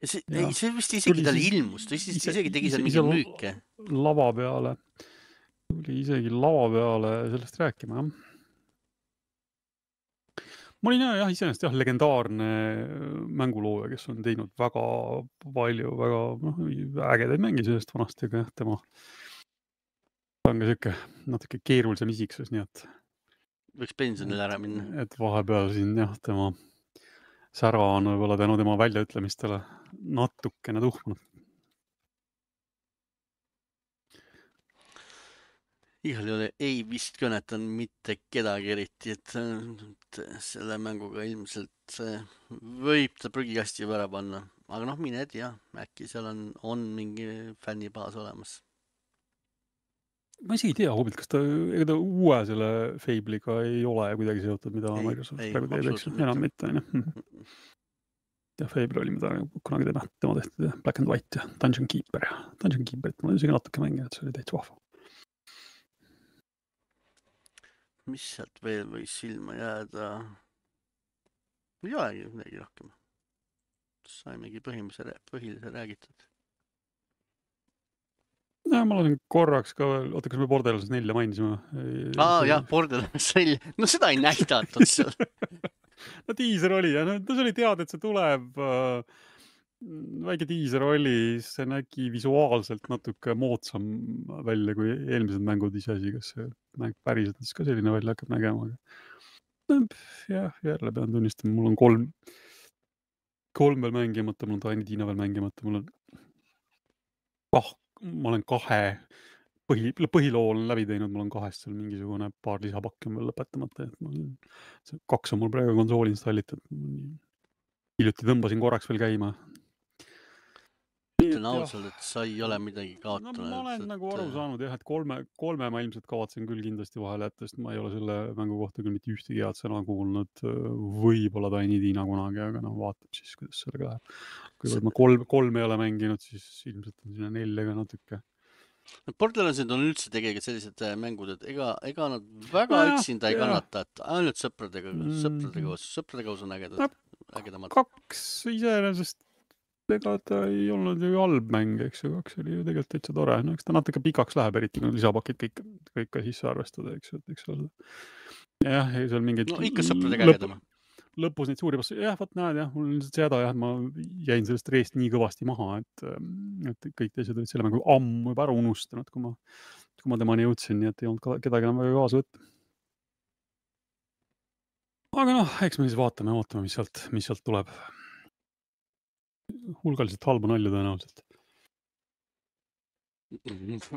ja see, ja ei, see vist isegi tal ilmus, ta ise, isegi tegi seal mingi müüke. Lava peale, tuli isegi lava peale sellest rääkima, jah. Ma olin jah, iseenesest jah, legendaarne mängulooja, kes on teinud väga palju, väga no, ägedaid mängi sellest vanasti, aga jah, tema on ka siuke natuke keerulisem isiksus, nii et võiks pensionile ära minna. Et vahepeal siin jah, tema sära on võib-olla tänu tema väljaütlemistele natukene tuhmunud. Igal juhul ei vist kõnetan mitte kedagi eriti, et selle mänguga ilmselt võib ta prügikasti ära panna. Aga noh, mine et jah, äkki seal on, on mingi fännibaas olemas. Ma isegi ei tea, huvit, kas ta, ega ta uue selle Fable'iga ei ole kuidagi seotud, mida ei, Microsoft praegu teeb, eks enam mitte. Ja Fable oli, mida kunagi tema, tema tehtud, Black and White ja Dungeon Keeper. Dungeon Keeperit ma olen isegi natuke mänginud, see oli täitsa vahva. Mis sealt veel võis silma jääda? Ei olegi midagi rohkem. Saimegi põhimõtteliselt põhilise räägitud. Ja, ma olen korraks ka veel, oota, kas me Borderlands nelja mainisime? Aa, jah, Borderlands nelja. No seda ei nähtatud seal. No tiiser oli ja no, see oli teada, et see tuleb. Väike tiiser oli, see nägi visuaalselt natuke moodsam välja kui eelmised mängud iseasi, kas see mäng päriselt ka selline välja hakkab nägema. Jah, jälle pean tunnistama, mul on kolm, kolm veel mängimata, mul on Tiny Tina veel mängimata, mul on kah, ma olen kahe põhi, põhiloo olen läbi teinud, mul on kahest seal mingisugune paar lisapakki on veel lõpetamata, et ma, kaks on mul praegu konsooli installitud. Hiljuti tõmbasin korraks veel käima. Ütlen ausalt, et sa ei ole midagi kaotanud. No, ma olen et... nagu aru saanud jah, et kolme, kolme ma ilmselt kavatsen küll kindlasti vahele jätta, sest ma ei ole selle mängu kohta küll mitte ühtegi head sõna kuulnud, võib-olla Tiny Tina kunagi, aga no vaatab siis, kuidas sellega läheb. Kui see... ma kolm, kolm ei ole mänginud, siis ilmselt on sinna neljaga natuke. Borderlandsid on üldse tegelikult sellised mängud, et ega, ega nad väga ja, üksinda ei ja. kannata, et ainult sõpradega, mm. sõpradega koos, sõpradega koos on ägedad, ägedamad. Kaks iseenesest ega ta ei olnud ju halb mäng, eks ju, kaks oli ju tegelikult täitsa tore. No, eks ta natuke pikaks läheb, eriti kui lisapakid kõik, kõik ka sisse arvestada, eks ju, et eks ole. Jah, seal mingid... No ikka sõpradega ägedama. Lõpus neid suuri vastu, jah, vaat näed, jah, mul on lihtsalt seda, jah, ma jäin sellest reest nii kõvasti maha, et, et kõik teised olid selle mängu ammu juba ära unustanud, kui ma, kui ma temani jõudsin, nii et ei olnud kedagi enam väga kaasa võtta. Aga noh, eks me siis vaatame, vaatame, mis sealt, mis sealt tuleb. Hulgaliselt halba nalju tõenäoliselt.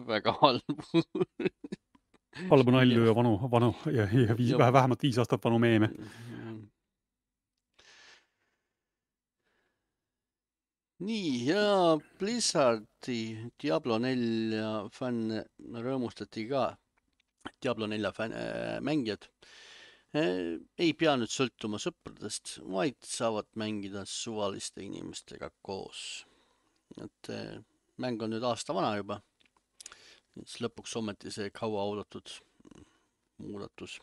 Väga halbu. Halba nalju ja vanu, vanu ja, ja viis, vähemalt viis aastat vanu meeme. Nii, ja Blizzardi Diablo nelja fänn rõõmustati ka Diablo nelja fän- äh, mängijad äh, ei pea nüüd sõltuma sõpradest, vaid saavad mängida suvaliste inimestega koos. Et äh, mäng on nüüd aasta vana juba, siis lõpuks ometi see kauaoodatud muudatus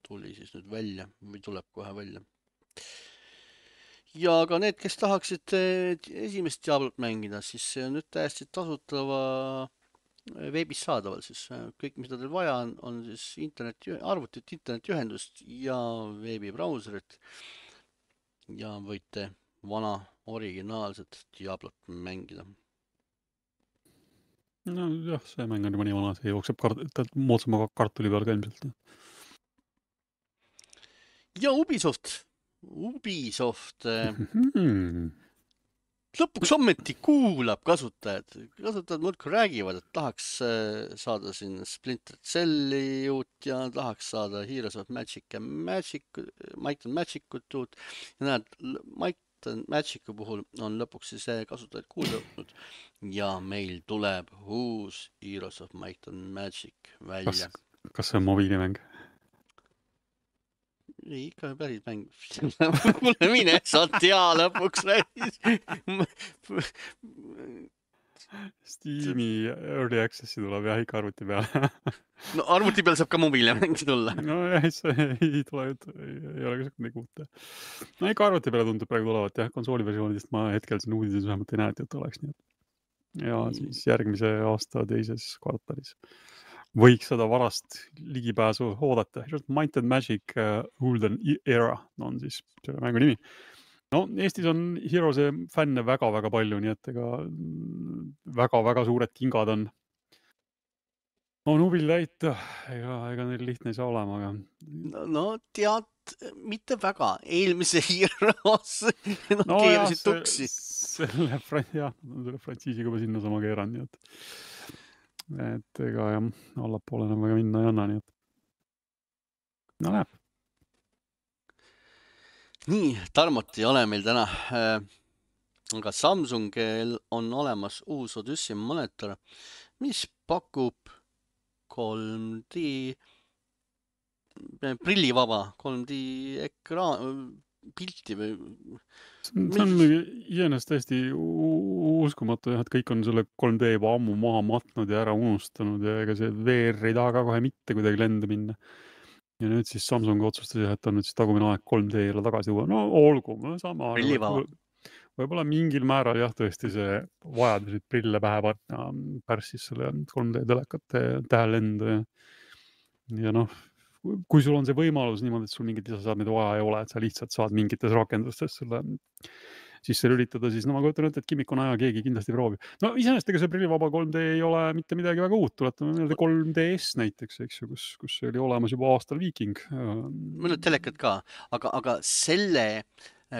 tuli siis nüüd välja või tuleb kohe välja. Ja ka need, kes tahaksid äh, esimest Diablot mängida, siis see on nüüd täiesti tasutava veebis saadaval siis. Kõik, mida teil vaja on, on siis internet, arvutit, internetiühendust ja veebibrauserit. Ja võite vana originaalset Diablot mängida. No jah, see mäng on juba nii vana, see jookseb kart moodsama kartuli peal ka ilmselt. Ja Ubisoft, Ubisoft mm-hmm. lõpuks ometi kuulab kasutajad. Kasutajad muudkui räägivad, et tahaks saada siin Splinter Celli uut ja tahaks saada Heroes of Magic ja Magic, Might and Magicut uut. Ja näed, Might and Magicu puhul on lõpuks siis kasutajad kuulda võtnud ja meil tuleb uus Heroes of Might and Magic välja. Kas, kas see on mobiilimäng? Ei, ikka päris mäng. Mulle mine, sa tea lõpuks räägis. Steam'i Early Access'i tuleb jah ikka arvuti peale. No arvuti peal saab ka mobiile mängi tulla. No jah, see ei tule, ei, ei ole ka midagi uut. No ikka arvuti peale tundub praegu tulevat jah, konsooli versioonidest ma hetkel siin uudises vähemalt ei näe, et oleks nii. Ja siis järgmise aasta teises kvartalis võiks seda varast ligipääsu oodata. Might and Magic uh, Golden Era on siis selle mängu nimi. No Eestis on Heroes'e fänne väga-väga palju, nii et ega väga-väga suured kingad on on hubil täita. Ega, ega neil lihtne ei saa olema, aga... No, no tead, mitte väga. Eelmise Heroes no, no keerasid jah, tuksi. Selle, jah, selle frantsiisiga juba sinna sama keeran, nii et et ega jah, allapoole enam väga minna ei anna, nii et no näeb. Nii, Tarmot ei ole meil täna, aga Samsungil on olemas uus Odyssey monitor, mis pakub kolm D prillivaba kolm D ekraan pilti või see on iseenesest täiesti uskumatu, et kõik on selle kolm D juba ammu maha matnud ja ära unustanud ja ega see V R ei taha ka kohe mitte kuidagi lenda minna. Ja nüüd siis Samsung otsustas, et on nüüd siis tagumine aeg kolm D-le tagasi tuua. No olgu, sama. Võib-olla mingil määral jah, tõesti see vajadus, et prille pähe panna pärssis selle kolm D telekate tähelendu ja, ja noh, kui sul on see võimalus niimoodi, et sul mingit lisaseadmeid vaja ei ole, et sa lihtsalt saad mingites rakendustes selle sisse lülitada, siis no ma kujutan ette, et kimmikuna aja keegi kindlasti proovib. No iseenesest ega see prillivaba kolm D ei ole mitte midagi väga uut, tuletame meelde kolm D S näiteks, eks ju, kus, kus oli olemas juba aastal Viking. Mõned telekad ka, aga, aga selle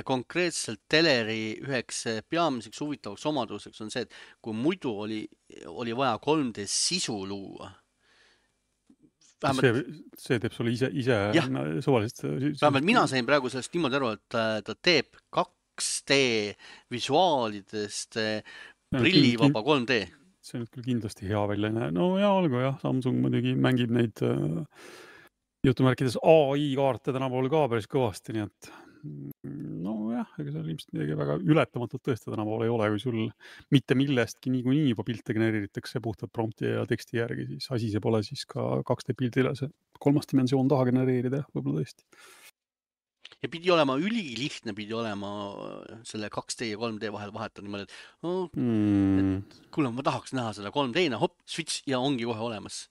konkreetselt teleri üheks peamiseks huvitavaks omaduseks on see, et kui muidu oli, oli vaja kolm D sisu luua, Vähemalt... See, see teeb sulle ise, ise suvalist... Vähemalt mina sain praegu sellest niimoodi aru, et ta teeb kaks D visuaalidest prillivaba kolm D. See on küll kindlasti hea välja. No ja olgu jah, Samsung muidugi mängib neid uh, jutumärkides A I kaarte tänapool ka päris kõvasti, nii et no jah, ega seal ilmselt midagi väga ületamatult tõesti tänapool ei ole, kui sul mitte millestki niikuinii juba pilte genereeritakse puhtalt prompti ja teksti järgi, siis asi see pole siis ka kaks D pildile see kolmas dimensioon taha genereerida, võib-olla tõesti. Ja pidi olema ülilihtne, pidi olema selle kaks D ja kolm D vahel vahetada niimoodi, et, oh, mm. et kuule, ma tahaks näha seda kolm D-na, hopp, switch ja ongi kohe olemas.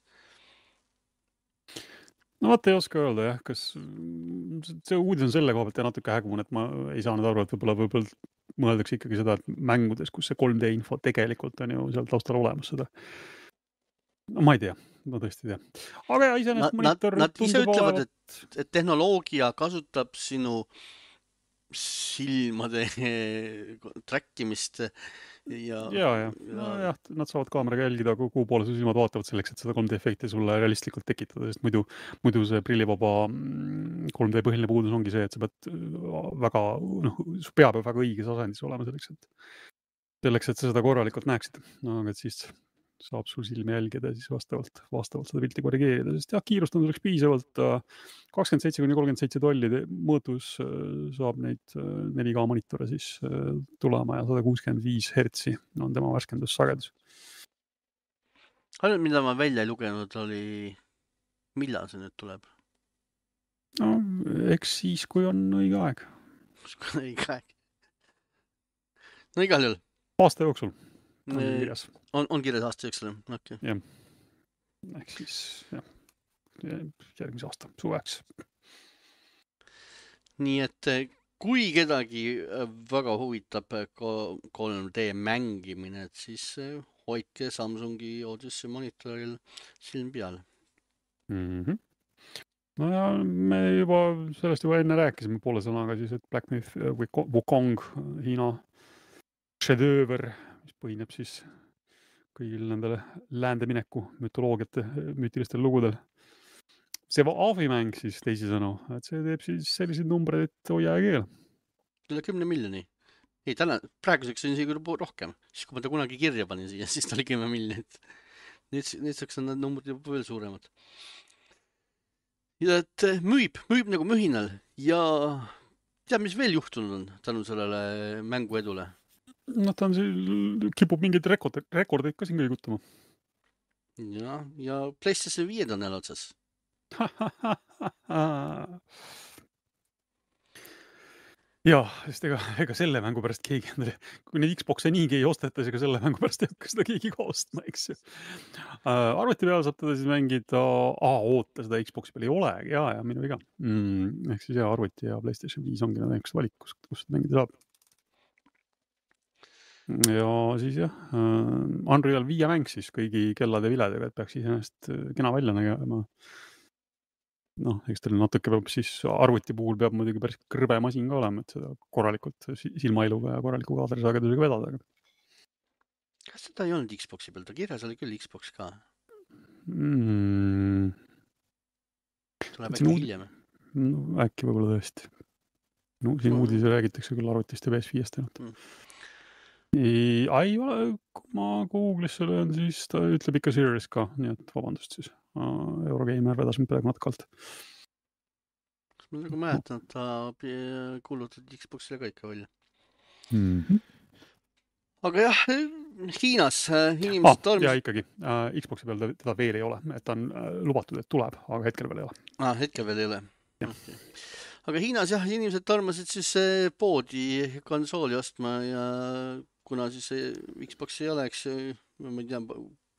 No vaat ei oska öelda jah, kas see uudis on selle koha pealt ja natuke hägumun, et ma ei saa nüüd aru, et võib-olla võib-olla mõeldakse ikkagi seda, et mängudes, kus see kolm D info tegelikult on ju seal taustal olemas seda. No ma ei tea, ma tõesti ei tea. Aga ja iseenesest monitor nad, nad ise ütlevad, et, et tehnoloogia kasutab sinu silmade trackimist ja... Ja, ja. No, jah, nad saavad kaameraga jälgida, kuhu poole su silmad vaatavad selleks, et seda kolm D efekti sulle realistlikult tekitada, sest muidu, muidu see prillivaba kolm D põhiline puudus ongi see, et sa pead väga, noh, su pea peab väga õiges asendis olema selleks, et selleks, et sa seda korralikult näeksid. No, aga siis saab su silme jälgida ja siis vastavalt, vastavalt seda pilti korrigeerida, sest jah, kiirust on selleks piisavalt kakskümmend seitse kuni kolmkümmend seitse tolli mõõtus saab neid neli K monitore siis tulema ja sada kuuskümmend viis hertsi on tema värskendussagedus. Ainult, mida ma välja ei lugenud, oli millal see nüüd tuleb? No, eks siis, kui on õige aeg. õige aeg. No igal juhul. Aasta jooksul on kirjas. On, on kirjas aasta jooksul, okei. Okay. Jah. Ehk siis, jah, järgmise aasta suveks. Nii et kui kedagi väga huvitab kolm D mängimine, et siis hoidke Samsungi Odyssey monitoril silm peal. Mm-hmm. No ja me juba sellest juba enne rääkisime poole sõnaga siis, et Black Myth või Wukong, Hiina šedööver, mis põhineb siis kõigil nendele läände mineku mütoloogiate, müütilistel lugudel. See aafimäng siis teisisõnu, et see teeb siis selliseid numbreid, et hoia ja keel. Üle kümne miljoni. Ei, täna, praeguseks on isegi rohkem. Siis kui ma ta kunagi kirja panin siia, siis ta oli kümme miljonit. Nüüd, nüüdseks on need numbrid juba veel suuremad. Ja et müüb, müüb nagu mühinal ja tead, mis veel juhtunud on tänu sellele mängu edule? No ta on siin, kipub mingeid rekordeid, rekordeid ka siin kõigutama. Ja, ja PlayStation viis on jälle otsas. Jah, sest ega, ega selle mängu pärast keegi endale, kui neid Xboxe niigi ei osteta, ega selle mängu pärast ei hakka seda keegi ka ostma, eks ju. Uh, arvuti peal saab teda siis mängida, aa, oota, seda Xboxi peal ei ole, jaa, ja minu viga. Mm, ehk siis jah, arvuti ja PlayStation viis ongi need üks valik, kus, kus mängida saab. Ja siis jah, uh, Unreal viie mäng siis kõigi kellade viledega, et peaks iseenesest kena välja nägema. Noh, eks teil natuke peab siis arvuti puhul peab muidugi päris kõrbe masin ka olema, et seda korralikult silmailuga ja korraliku kaadrisagedusega vedada. Kas seda ei olnud Xboxi peal? Ta kirjas oli küll Xbox ka. Mm. Tuleb äkki hiljem. No, äkki võib-olla tõesti. No, siin mm. uudise räägitakse küll arvutist ja P S viiest ainult. Mm. Ei, ei ole, kui ma Google'isse löön, siis ta ütleb ikka Series ka, nii et vabandust siis. Eurogeimer vedas mind praegu natkalt. Kas ma nagu mäletan, et ta kuulutati Xboxile ka ikka välja? Mm-hmm. Aga jah, Hiinas inimesed ah, tormis... Ja ikkagi, uh, Xboxi peal teda veel ei ole, et ta on uh, lubatud, et tuleb, aga hetkel veel ei ole. Ah, hetkel veel ei ole. Okay. Aga Hiinas jah, inimesed tormasid siis poodi konsooli ostma ja kuna siis Xbox ei ole, eks ma ei tea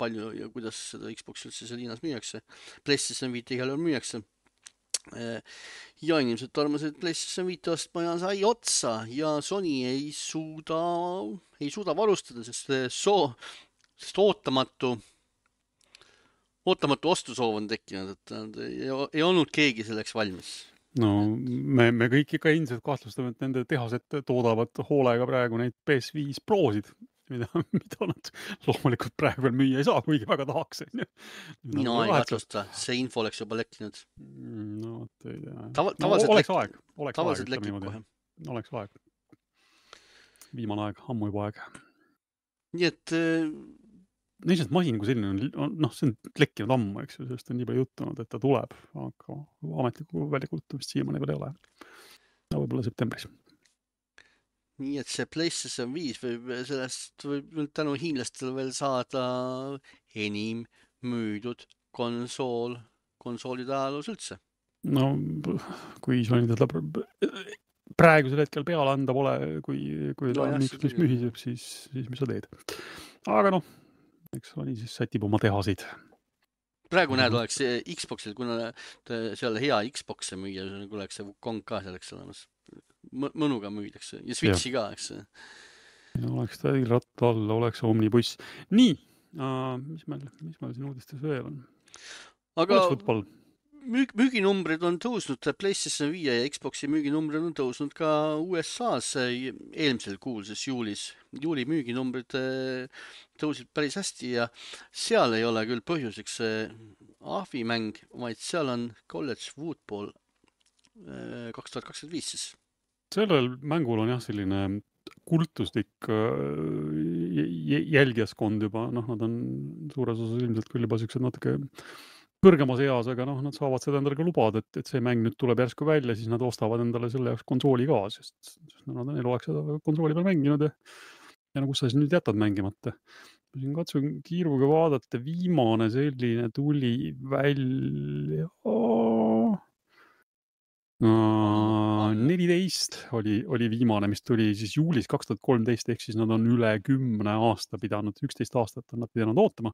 palju ja kuidas seda Xbox üldse seal Hiinas müüakse. PlayStation viis igal juhul müüakse. Ja inimesed tormasid PlayStation viis ostma ja sai otsa ja Sony ei suuda, ei suuda varustada, sest, soo, sest ootamatu, ootamatu ostusoov on tekkinud, et ei, ei olnud keegi selleks valmis. No me, me kõik ikka ilmselt kahtlustame, et nende tehased toodavad hoolega praegu neid P S viis Prosid, mida, mida nad loomulikult praegu veel müüa ei saa, kuigi väga tahaks. Mina ei kahtlusta, see info oleks juba lekkinud. No, ei tea. Tava, no, oleks lek... aeg. Oleks tavaliselt aeg, lekib kohe. Oleks aeg. Viimane aeg, ammu juba aeg. Nii et... Lihtsalt masin kui selline on, noh, see on lekkinud ammu, eks ju, sellest on nii palju juttunud, et ta tuleb, aga ametlikku väljakuulutamist siiamaani veel ei ole. No võib-olla septembris. Nii et see PlayStation viis võib sellest võib tänu hiinlastele veel saada enim müüdud konsool, konsoolide ajaloos üldse. No, kui Sony teda praegusel hetkel peale anda pole, kui, kui ta no, on üks, mis mühiseb, siis, siis mis sa teed. Aga noh, eks Sony siis sätib oma tehasid. Praegu näed, oleks Xboxil, kuna seal hea Xboxe müüa, kui oleks see Wukong ka selleks olemas. Mõnuga müüdakse ja Switchi ja. Ka, eks. Ja oleks ta ratta all, oleks omnibuss. Nii, uh, mis meil, mis meil siin uudistes veel on? Aga müük, müüginumbrid on tõusnud, PlayStation viis ja Xboxi müüginumbrid on tõusnud ka U S A-s eelmisel kuul, siis juulis. Juuli müüginumbrid tõusid päris hästi ja seal ei ole küll põhjuseks ahvimäng, vaid seal on College Football kaks tuhat kakskümmend viis siis. Sellel mängul on jah selline kultuslik jälgijaskond juba, noh, nad on suures osas ilmselt küll juba siuksed natuke kõrgemas eas, aga noh, nad saavad seda endale ka lubada, et, et see mäng nüüd tuleb järsku välja, siis nad ostavad endale selle jaoks konsooli ka, sest, sest nad on eluaeg seda konsooli peal mänginud ja, ja no kus sa siis nüüd jätad mängimata. Ma siin katsun kiiruga vaadata, viimane selline tuli välja neliteist oli, oli viimane, mis tuli siis juulis kaks tuhat kolmteist, ehk siis nad on üle kümne aasta pidanud, üksteist aastat on nad pidanud ootama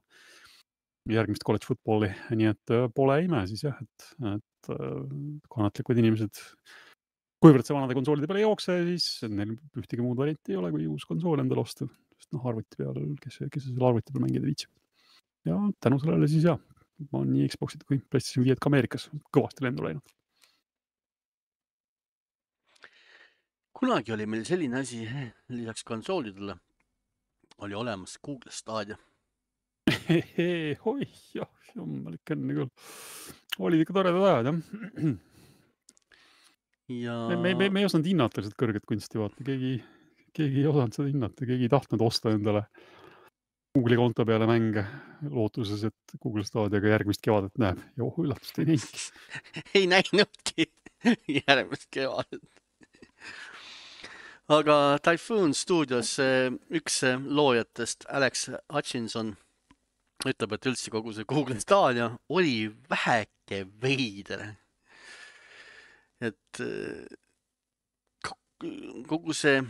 järgmist college footballi, nii et pole ime siis jah, et, et kannatlikud inimesed, kuivõrd see vanade konsoolide peale ei jookse, siis neil ühtegi muud varianti ei ole, kui uus konsool endale osta, sest noh, arvuti peal, kes, kes selle arvuti peal mängida viitsib. Ja tänu sellele siis jah, ma olen nii Xboxid kui PlayStation viis ka Ameerikas kõvasti lendu läinud. Kunagi oli meil selline asi, lisaks konsoolidele oli olemas Google Stadia. Oi, jah, jummalik enne küll. Olid ikka toredad ajad, jah. Ja... Me, me, me, me ei osanud hinnata lihtsalt kõrget kunsti, vaata. Keegi, keegi ei osanud seda hinnata, keegi ei tahtnud osta endale Google'i konto peale mänge lootuses, et Google Stadiaga järgmist kevadet näeb. Ja oh, üllatust ei näinudki. ei näinudki järgmist kevadet. Aga Typhoon Studios üks loojatest, Alex Hutchinson, ütleb, et üldse kogu see Google Stadia oli väheke veider. Et kogu see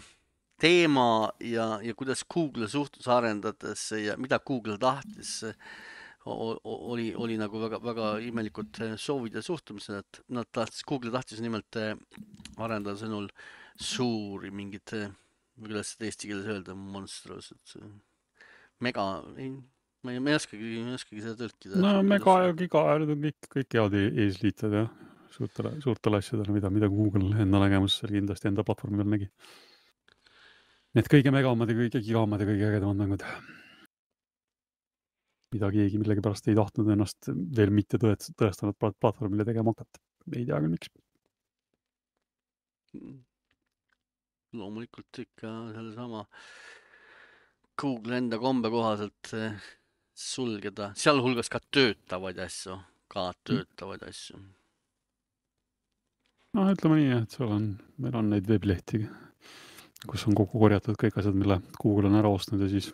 teema ja, ja kuidas Google suhtus arendades ja mida Google tahtis, oli, oli nagu väga, väga imelikult soovid ja suhtumised, et nad tahtis, Google tahtis nimelt arendada sõnul suuri mingid, kuidas seda eesti keeles öelda, monstros, et mega, ei, ma ei, ma ei oskagi, ei oskagi seda tõlkida. No mega ja giga, need on kõik, kõik head eesliited, jah. Suurtele, suurtele asjadele, mida, mida Google enda nägemusel kindlasti enda platvormi peal nägi. Need kõige megamad ja kõige gigamad ja kõige ägedamad mängud. Mida keegi millegi pärast ei tahtnud ennast veel mitte tõestanud platvormile tegema hakata. Ei tea küll, miks. Loomulikult ikka selle sama Google enda kombe kohaselt sulgeda, sealhulgas ka töötavaid asju, ka töötavaid asju. No ütleme nii, et seal on, meil on neid veebilehti, kus on kokku korjatud kõik asjad, mille Google on ära ostnud ja siis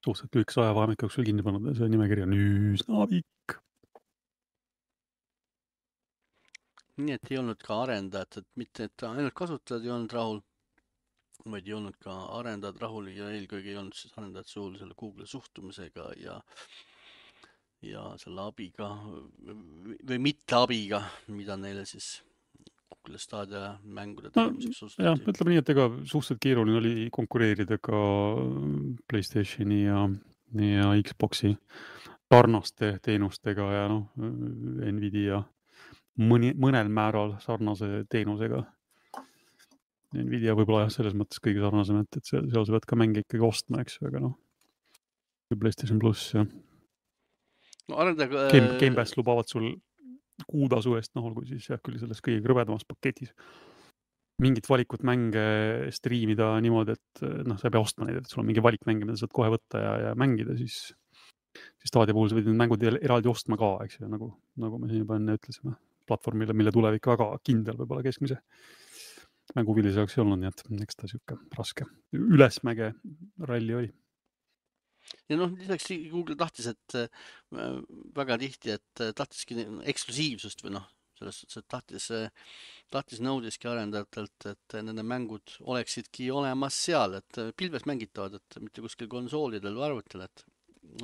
suhteliselt lühikese ajavahemik jooksul kinni pannud ja see nimekiri on üsna pikk. Nii et ei olnud ka arendajad, et mitte et ainult kasutajad ei olnud rahul, vaid ei olnud ka arendajad rahul ja eelkõige ei olnud siis arendajad suul selle Google suhtumisega ja ja selle abiga või mitte abiga, mida neile siis Google Stadia mängude tegemiseks no, jah, ütleme nii, et ega suhteliselt keeruline oli konkureerida ka PlayStationi ja, ja Xboxi sarnaste teenustega ja noh, Nvidia mõni, mõnel määral sarnase teenusega. Nvidia võib-olla jah, selles mõttes kõige sarnasem, et, et seal, seal sa pead ka mänge ikkagi ostma, eks, aga noh, PlayStation pluss ja no, arendada, Game, Game Pass lubavad sul kuutasu eest, noh, olgu siis jah, küll selles kõige krõbedamas paketis mingit valikut mänge striimida niimoodi, et noh, sa ei pea ostma neid, et sul on mingi valik mänge, mida saad kohe võtta ja, ja mängida, siis, siis Stadia puhul sa võid need mängud eraldi ostma ka, eks ju, nagu, nagu me siin juba enne ütlesime, platvormile, mille tulevik väga kindel võib-olla keskmise mänguvilise jaoks ei olnud, nii et eks ta siuke raske ülesmäge ralli oli. Ja noh, lisaks Google tahtis, et väga tihti, et tahtiski eksklusiivsust või noh, selles suhtes, et tahtis, tahtis nõudiski arendajatelt, et nende mängud oleksidki olemas seal, et pilves mängitavad, et mitte kuskil konsoolidel või arvutil, et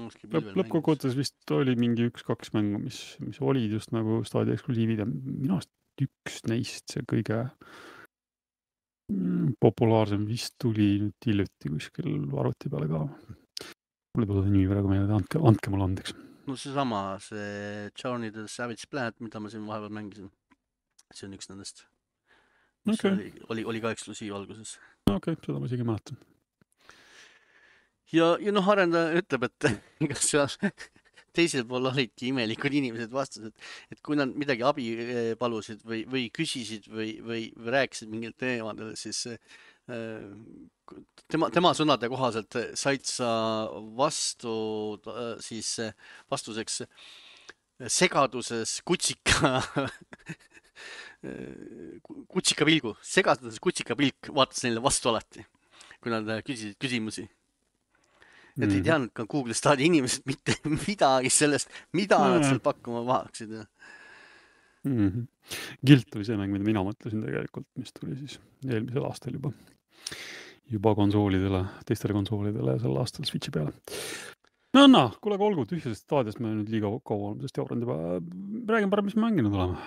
lõppkokkuvõttes vist oli mingi üks-kaks mängu, mis, mis olid just nagu Stadia eksklusiivid ja minu arust üks neist see kõige populaarsem vist tuli nüüd hiljuti kuskil arvuti peale ka. Mulle tuli nii praegu meelde, andke, andke mulle andeks. No see sama, see Journey to the Savage Planet, mida ma siin vahepeal mängisin. See on üks nendest. Okay. Oli, oli, oli ka eksklusiiv alguses. Okei, okay, seda ma isegi mäletan. Ja, ja noh, arendaja ütleb, et kas seal teisel pool olidki imelikud inimesed vastus, et, et kui nad midagi abi palusid või, või küsisid või, või, või rääkisid mingil teemadel, siis tema, tema sõnade kohaselt said sa vastu siis vastuseks segaduses kutsika kutsika pilgu, segaduses kutsika pilk vaatas neile vastu alati, kui nad küsisid küsimusi. Et ei teadnud ka Google Staadi inimesed mitte midagi sellest, mida mm. nad seal pakkuma vahaksid. Mm -hmm. Guilt oli see mäng, mida mina mõtlesin tegelikult, mis tuli siis eelmisel aastal juba. Juba konsoolidele, teistele konsoolidele ja sel aastal Switchi peale. No, no, kuule, aga olgu, tühjasest staadiast me nüüd liiga kaua oleme sest jauranud juba. Räägin parem, mis mänginud oleme.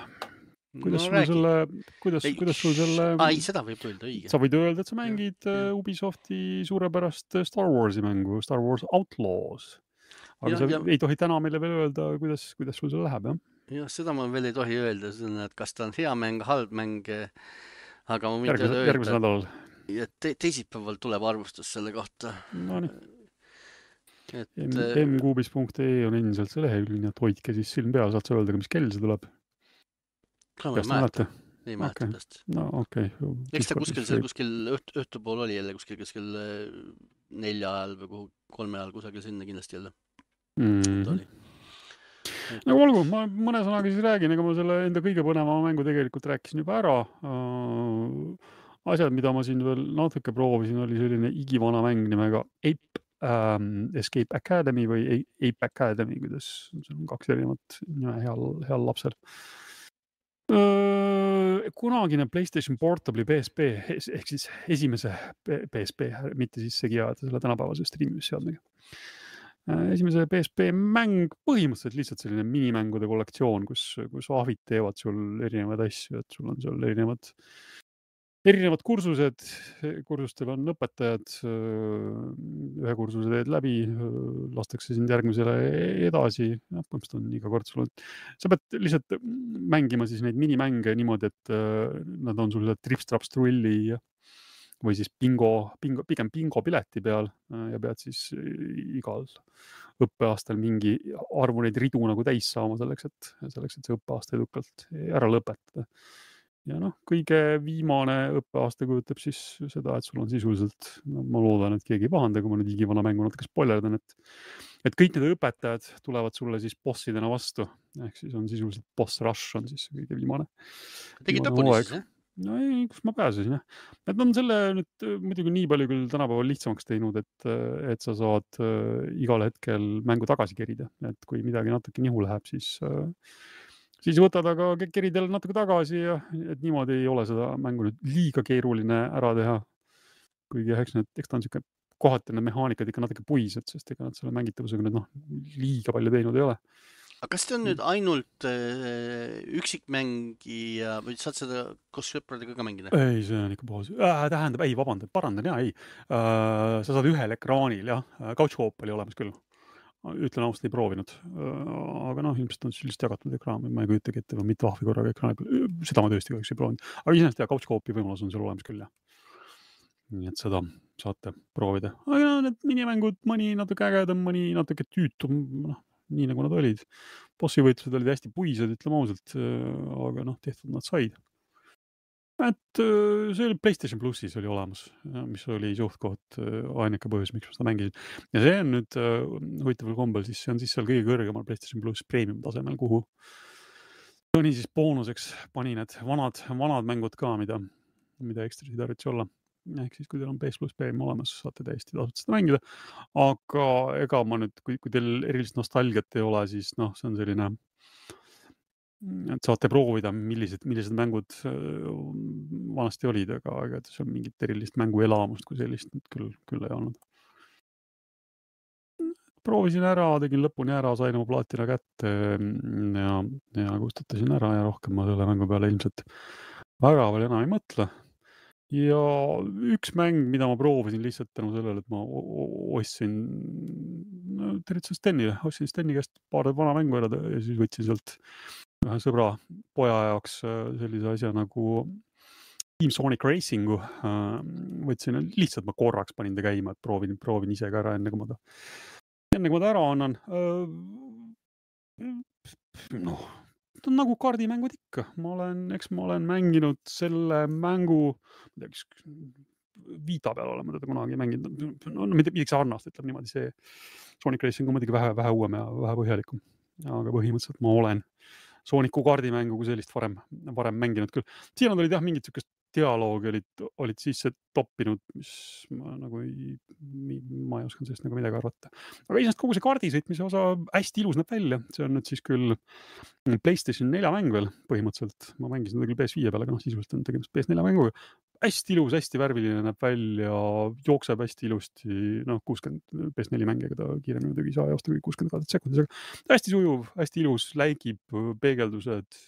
Kuidas No sul räägi. selle, kuidas, Ei, kuidas sul selle, Ai, seda võib öelda, õige. sa võid öelda, et sa mängid Ja, ja. Ubisofti suurepärast Star Warsi mängu, Star Wars Outlaws. Aga Ja, sa ja- ei tohi täna meile veel öelda, kuidas, kuidas sul seal läheb, jah? Jah, seda ma veel ei tohi öelda, et kas ta on hea mäng, halb mäng, aga ma võin Järgmise, teile järgmisel öelda, nädalal. et te teisipäeval tuleb arvustus selle kohta. No nii. Et, m kuubis punkt ee on endiselt see lehekülg, nii et hoidke siis silm peal, saad sa öelda ka, mis kell see tuleb. ka ma ei Peast mäleta, mäletate? ei mäleta Okei. peast. No okei. Eks ta kuskil seal, kuskil õht, õhtupool oli jälle, kuskil, kuskil nelja ajal või kuhu, kolme ajal kusagil sinna kindlasti jälle. Mm Ta -hmm. oli. No olgu, ma mõne sõnaga siis räägin, ega ma selle enda kõige põnevama mängu tegelikult rääkisin juba ära. Asjad, mida ma siin veel natuke proovisin, oli selline igivana mäng nimega Ape ähm, Escape Academy või Ape Academy, kuidas see on kaks erinevat nime heal, heal lapsel. Kunagine PlayStation Portable'i P S P ehk siis esimese P S P, mitte siis segi ajada selle tänapäevase streamimisseadmega. Esimese P S P mäng, põhimõtteliselt lihtsalt selline minimängude kollektsioon, kus, kus ahvid teevad sul erinevaid asju, et sul on seal erinevad, erinevad kursused, kursustel on õpetajad, ühe kursuse teed läbi, lastakse sind järgmisele edasi, ja põhimõtteliselt on iga kord sul, sa pead lihtsalt mängima siis neid minimänge niimoodi, et nad on sul trips-traps trulli või siis bingo, bingo, pigem bingo pileti peal ja pead siis igal õppeaastal mingi arvu neid ridu nagu täis saama selleks, et, selleks, et see õppeaasta edukalt ära lõpetada. Ja noh, kõige viimane õppeaasta kujutab siis seda, et sul on sisuliselt, no, ma loodan, et keegi ei pahanda, kui ma nüüd igivana mängu natuke spoilerdan, et, et kõik need õpetajad tulevad sulle siis bossidena vastu. Ehk siis on sisuliselt boss rush on siis kõige viimane. Tegid lõpuni siis, jah? No ei, kus ma pääsesin, jah. Et on selle nüüd muidugi nii palju küll tänapäeval lihtsamaks teinud, et, et sa saad äh, igal hetkel mängu tagasi kerida. Et kui midagi natuke nihu läheb, siis, äh, siis võtad aga keridel natuke tagasi ja et niimoodi ei ole seda mängu nüüd liiga keeruline ära teha. Kuigi eks, need, eks ta on siuke kohati need mehaanikad ikka natuke puised, sest ega nad selle mängitavusega nüüd noh, liiga palju teinud ei ole. Aga kas see on nüüd ainult äh, üksikmängija või saad seda koos sõpradega ka mängida? Ei, see on ikka puhas. Äh, tähendab, ei, vabandan, parandan, jah, ei. Äh, sa saad ühel ekraanil, jah. Couch co-op oli olemas küll. Ütlen ausalt, ei proovinud. Äh, aga noh, ilmselt on sellist jagatud ekraan, ma ei kujutagi ette, või mitte ahvi korraga ekraani peal. Seda ma tõesti kahjuks ei proovinud. Aga iseenesest jah, couch co-opi võimalus on seal olemas küll, jah. Nii et seda saate proovida. Aga need minimängud, mõni natuke ägedam, mõni natuke tüütum, noh, nii nagu nad olid. Bossi võitlused olid hästi puised, ütleme ausalt, aga noh, tehtud nad said. Et see oli PlayStation Plussis oli olemas, mis oli suhtkoht ainuke põhjus, miks ma seda mängisin. Ja see on nüüd huvitaval kombel, siis see on siis seal kõige kõrgemal PlayStation Plus premium tasemel, kuhu Toni siis boonuseks pani need vanad, vanad mängud ka, mida, mida ekstrasid tarvitsi olla. Ehk siis, kui teil on P S Plus Premium olemas, saate täiesti tasuta seda mängida. Aga ega ma nüüd, kui, kui teil erilist nostalgiat ei ole, siis noh, see on selline, et saate proovida, millised, millised mängud vanasti olid, aga, aga see on mingit erilist mänguelamust, kui sellist nüüd küll, küll ei olnud. Proovisin ära, tegin lõpuni ära, sain oma plaatina kätte ja, ja kustutasin ära ja rohkem ma selle mängu peale ilmselt väga veel enam ei mõtle. Ja üks mäng, mida ma proovisin lihtsalt tänu sellele, et ma ostsin no, tervitsen Stenile, ostsin Steni käest paar vana mängu ära ja siis võtsin sealt ühe sõbra poja jaoks sellise asja nagu Team Sonic Racingu. Võtsin lihtsalt, ma korraks panin ta käima, et proovin, proovin ise ka ära, enne kui ma ta, enne kui ma ta ära annan. Noh, ta on nagu kaardimängud ikka. Ma olen, eks ma olen mänginud selle mängu, Vita peal olema teda kunagi mänginud, no midagi sarnast, ütleb niimoodi, see Sonic Racing on muidugi vähe, vähe uuem ja vähe põhjalikum, aga põhimõtteliselt ma olen Sooniku kaardimängu kui sellist varem, varem mänginud küll. Siin olid jah, mingid sükest dialoogi olid, olid sisse toppinud, mis ma nagu ei, ma ei oskan sellest nagu midagi arvata. Aga iseenesest kogu see kaardisõitmise osa hästi ilus näeb välja. See on nüüd siis küll PlayStation nelja mäng veel põhimõtteliselt. Ma mängisin seda küll P S viie peal, aga noh, sisuliselt on tegemist P S nelja mänguga. Hästi ilus, hästi värviline näeb välja, jookseb hästi ilusti, noh, kuuskümmend P S neli mängiga ta kiiremini muidugi ei saa joosta kui kuuskümmend kaadrit sekundis, aga hästi sujuv, hästi ilus, läigib, peegeldused.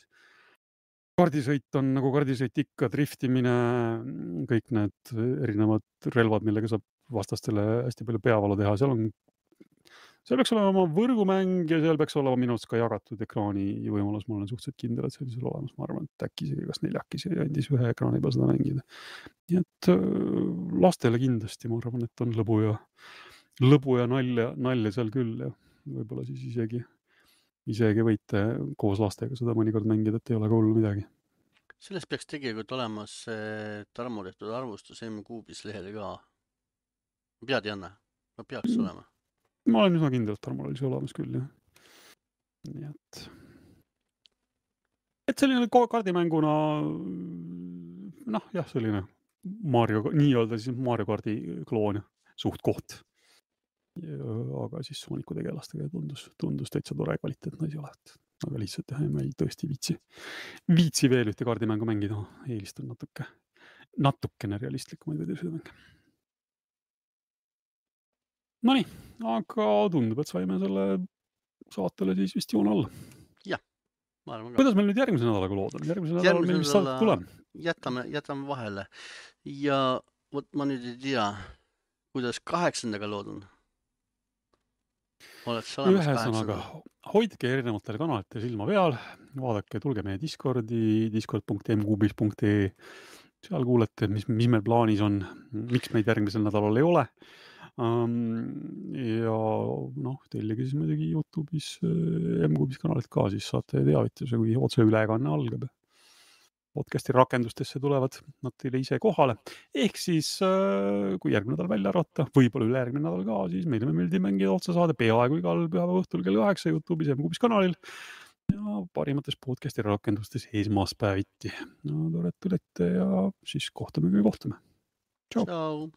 Kaardisõit on nagu kaardisõit ikka, driftimine, kõik need erinevad relvad, millega saab vastastele hästi palju peavalu teha. Seal on, seal peaks olema võrgumäng ja seal peaks olema minust ka jagatud ekraani võimalus. Ma olen suhteliselt kindel, et see oli seal olemas. Ma arvan, et äkki see kas neljakis ja andis ühe ekraani peal seda mängida. Nii et lastele kindlasti, ma arvan, et on lõbu ja, lõbu ja nalja, nalja seal küll ja võib-olla siis isegi isegi võite koos lastega seda mõnikord mängida, et ei ole ka hullu midagi. Sellest peaks tegelikult olemas Tarmo tehtud arvustus M-Kuubis lehele ka. Pead, Janne? Ma peaks mm. olema. Ma olen üsna kindel, et Tarmol oli see olemas küll, jah. Nii et... Et selline kaardimänguna, noh, jah, selline Mario, nii-öelda siis Mario kaardi kloon, suht koht. Aga siis Sooniku tegelastega tundus, tundus täitsa tore kvaliteetne asi olevat. Aga lihtsalt jah, ma ei tõesti viitsi. Viitsi veel ühte kaardimängu mängida, eelistan natuke, natukene realistlikumaid vedelsõidumänge. Nonii, aga tundub, et saime selle saatele siis vist joon alla. Jah, ma arvan ka. Kuidas meil nüüd järgmise nädalaga lood on? Järgmise nädala meil vist saadet tuleb. Jätame, jätame vahele. Ja võt ma nüüd ei tea, kuidas kaheksandaga lood on. Ühesõnaga, hoidke erinevatele kanalite silma peal, vaadake, tulge meie Discordi, discord punkt m kuubis punkt e, seal kuulete, mis, mis meil plaanis on, miks meid järgmisel nädalal ei ole. Ja noh, tellige siis muidugi YouTube'is M-Kuubis kanalit ka, siis saate teavituse, kui otse ülekanne algab. Podcasti rakendustesse tulevad nad teile ise kohale. Ehk siis, kui järgmine nädal välja arvata, võib-olla üle järgmine nädal ka, siis meile meeldib mängida otsa saade peaaegu igal pühapäeva õhtul kell kaheksa YouTube'is ja M-Kuubis kanalil ja parimates podcasti rakendustes esmaspäeviti. No tore, et tulete ja siis kohtume, kui kohtume. Tšau! Tšau!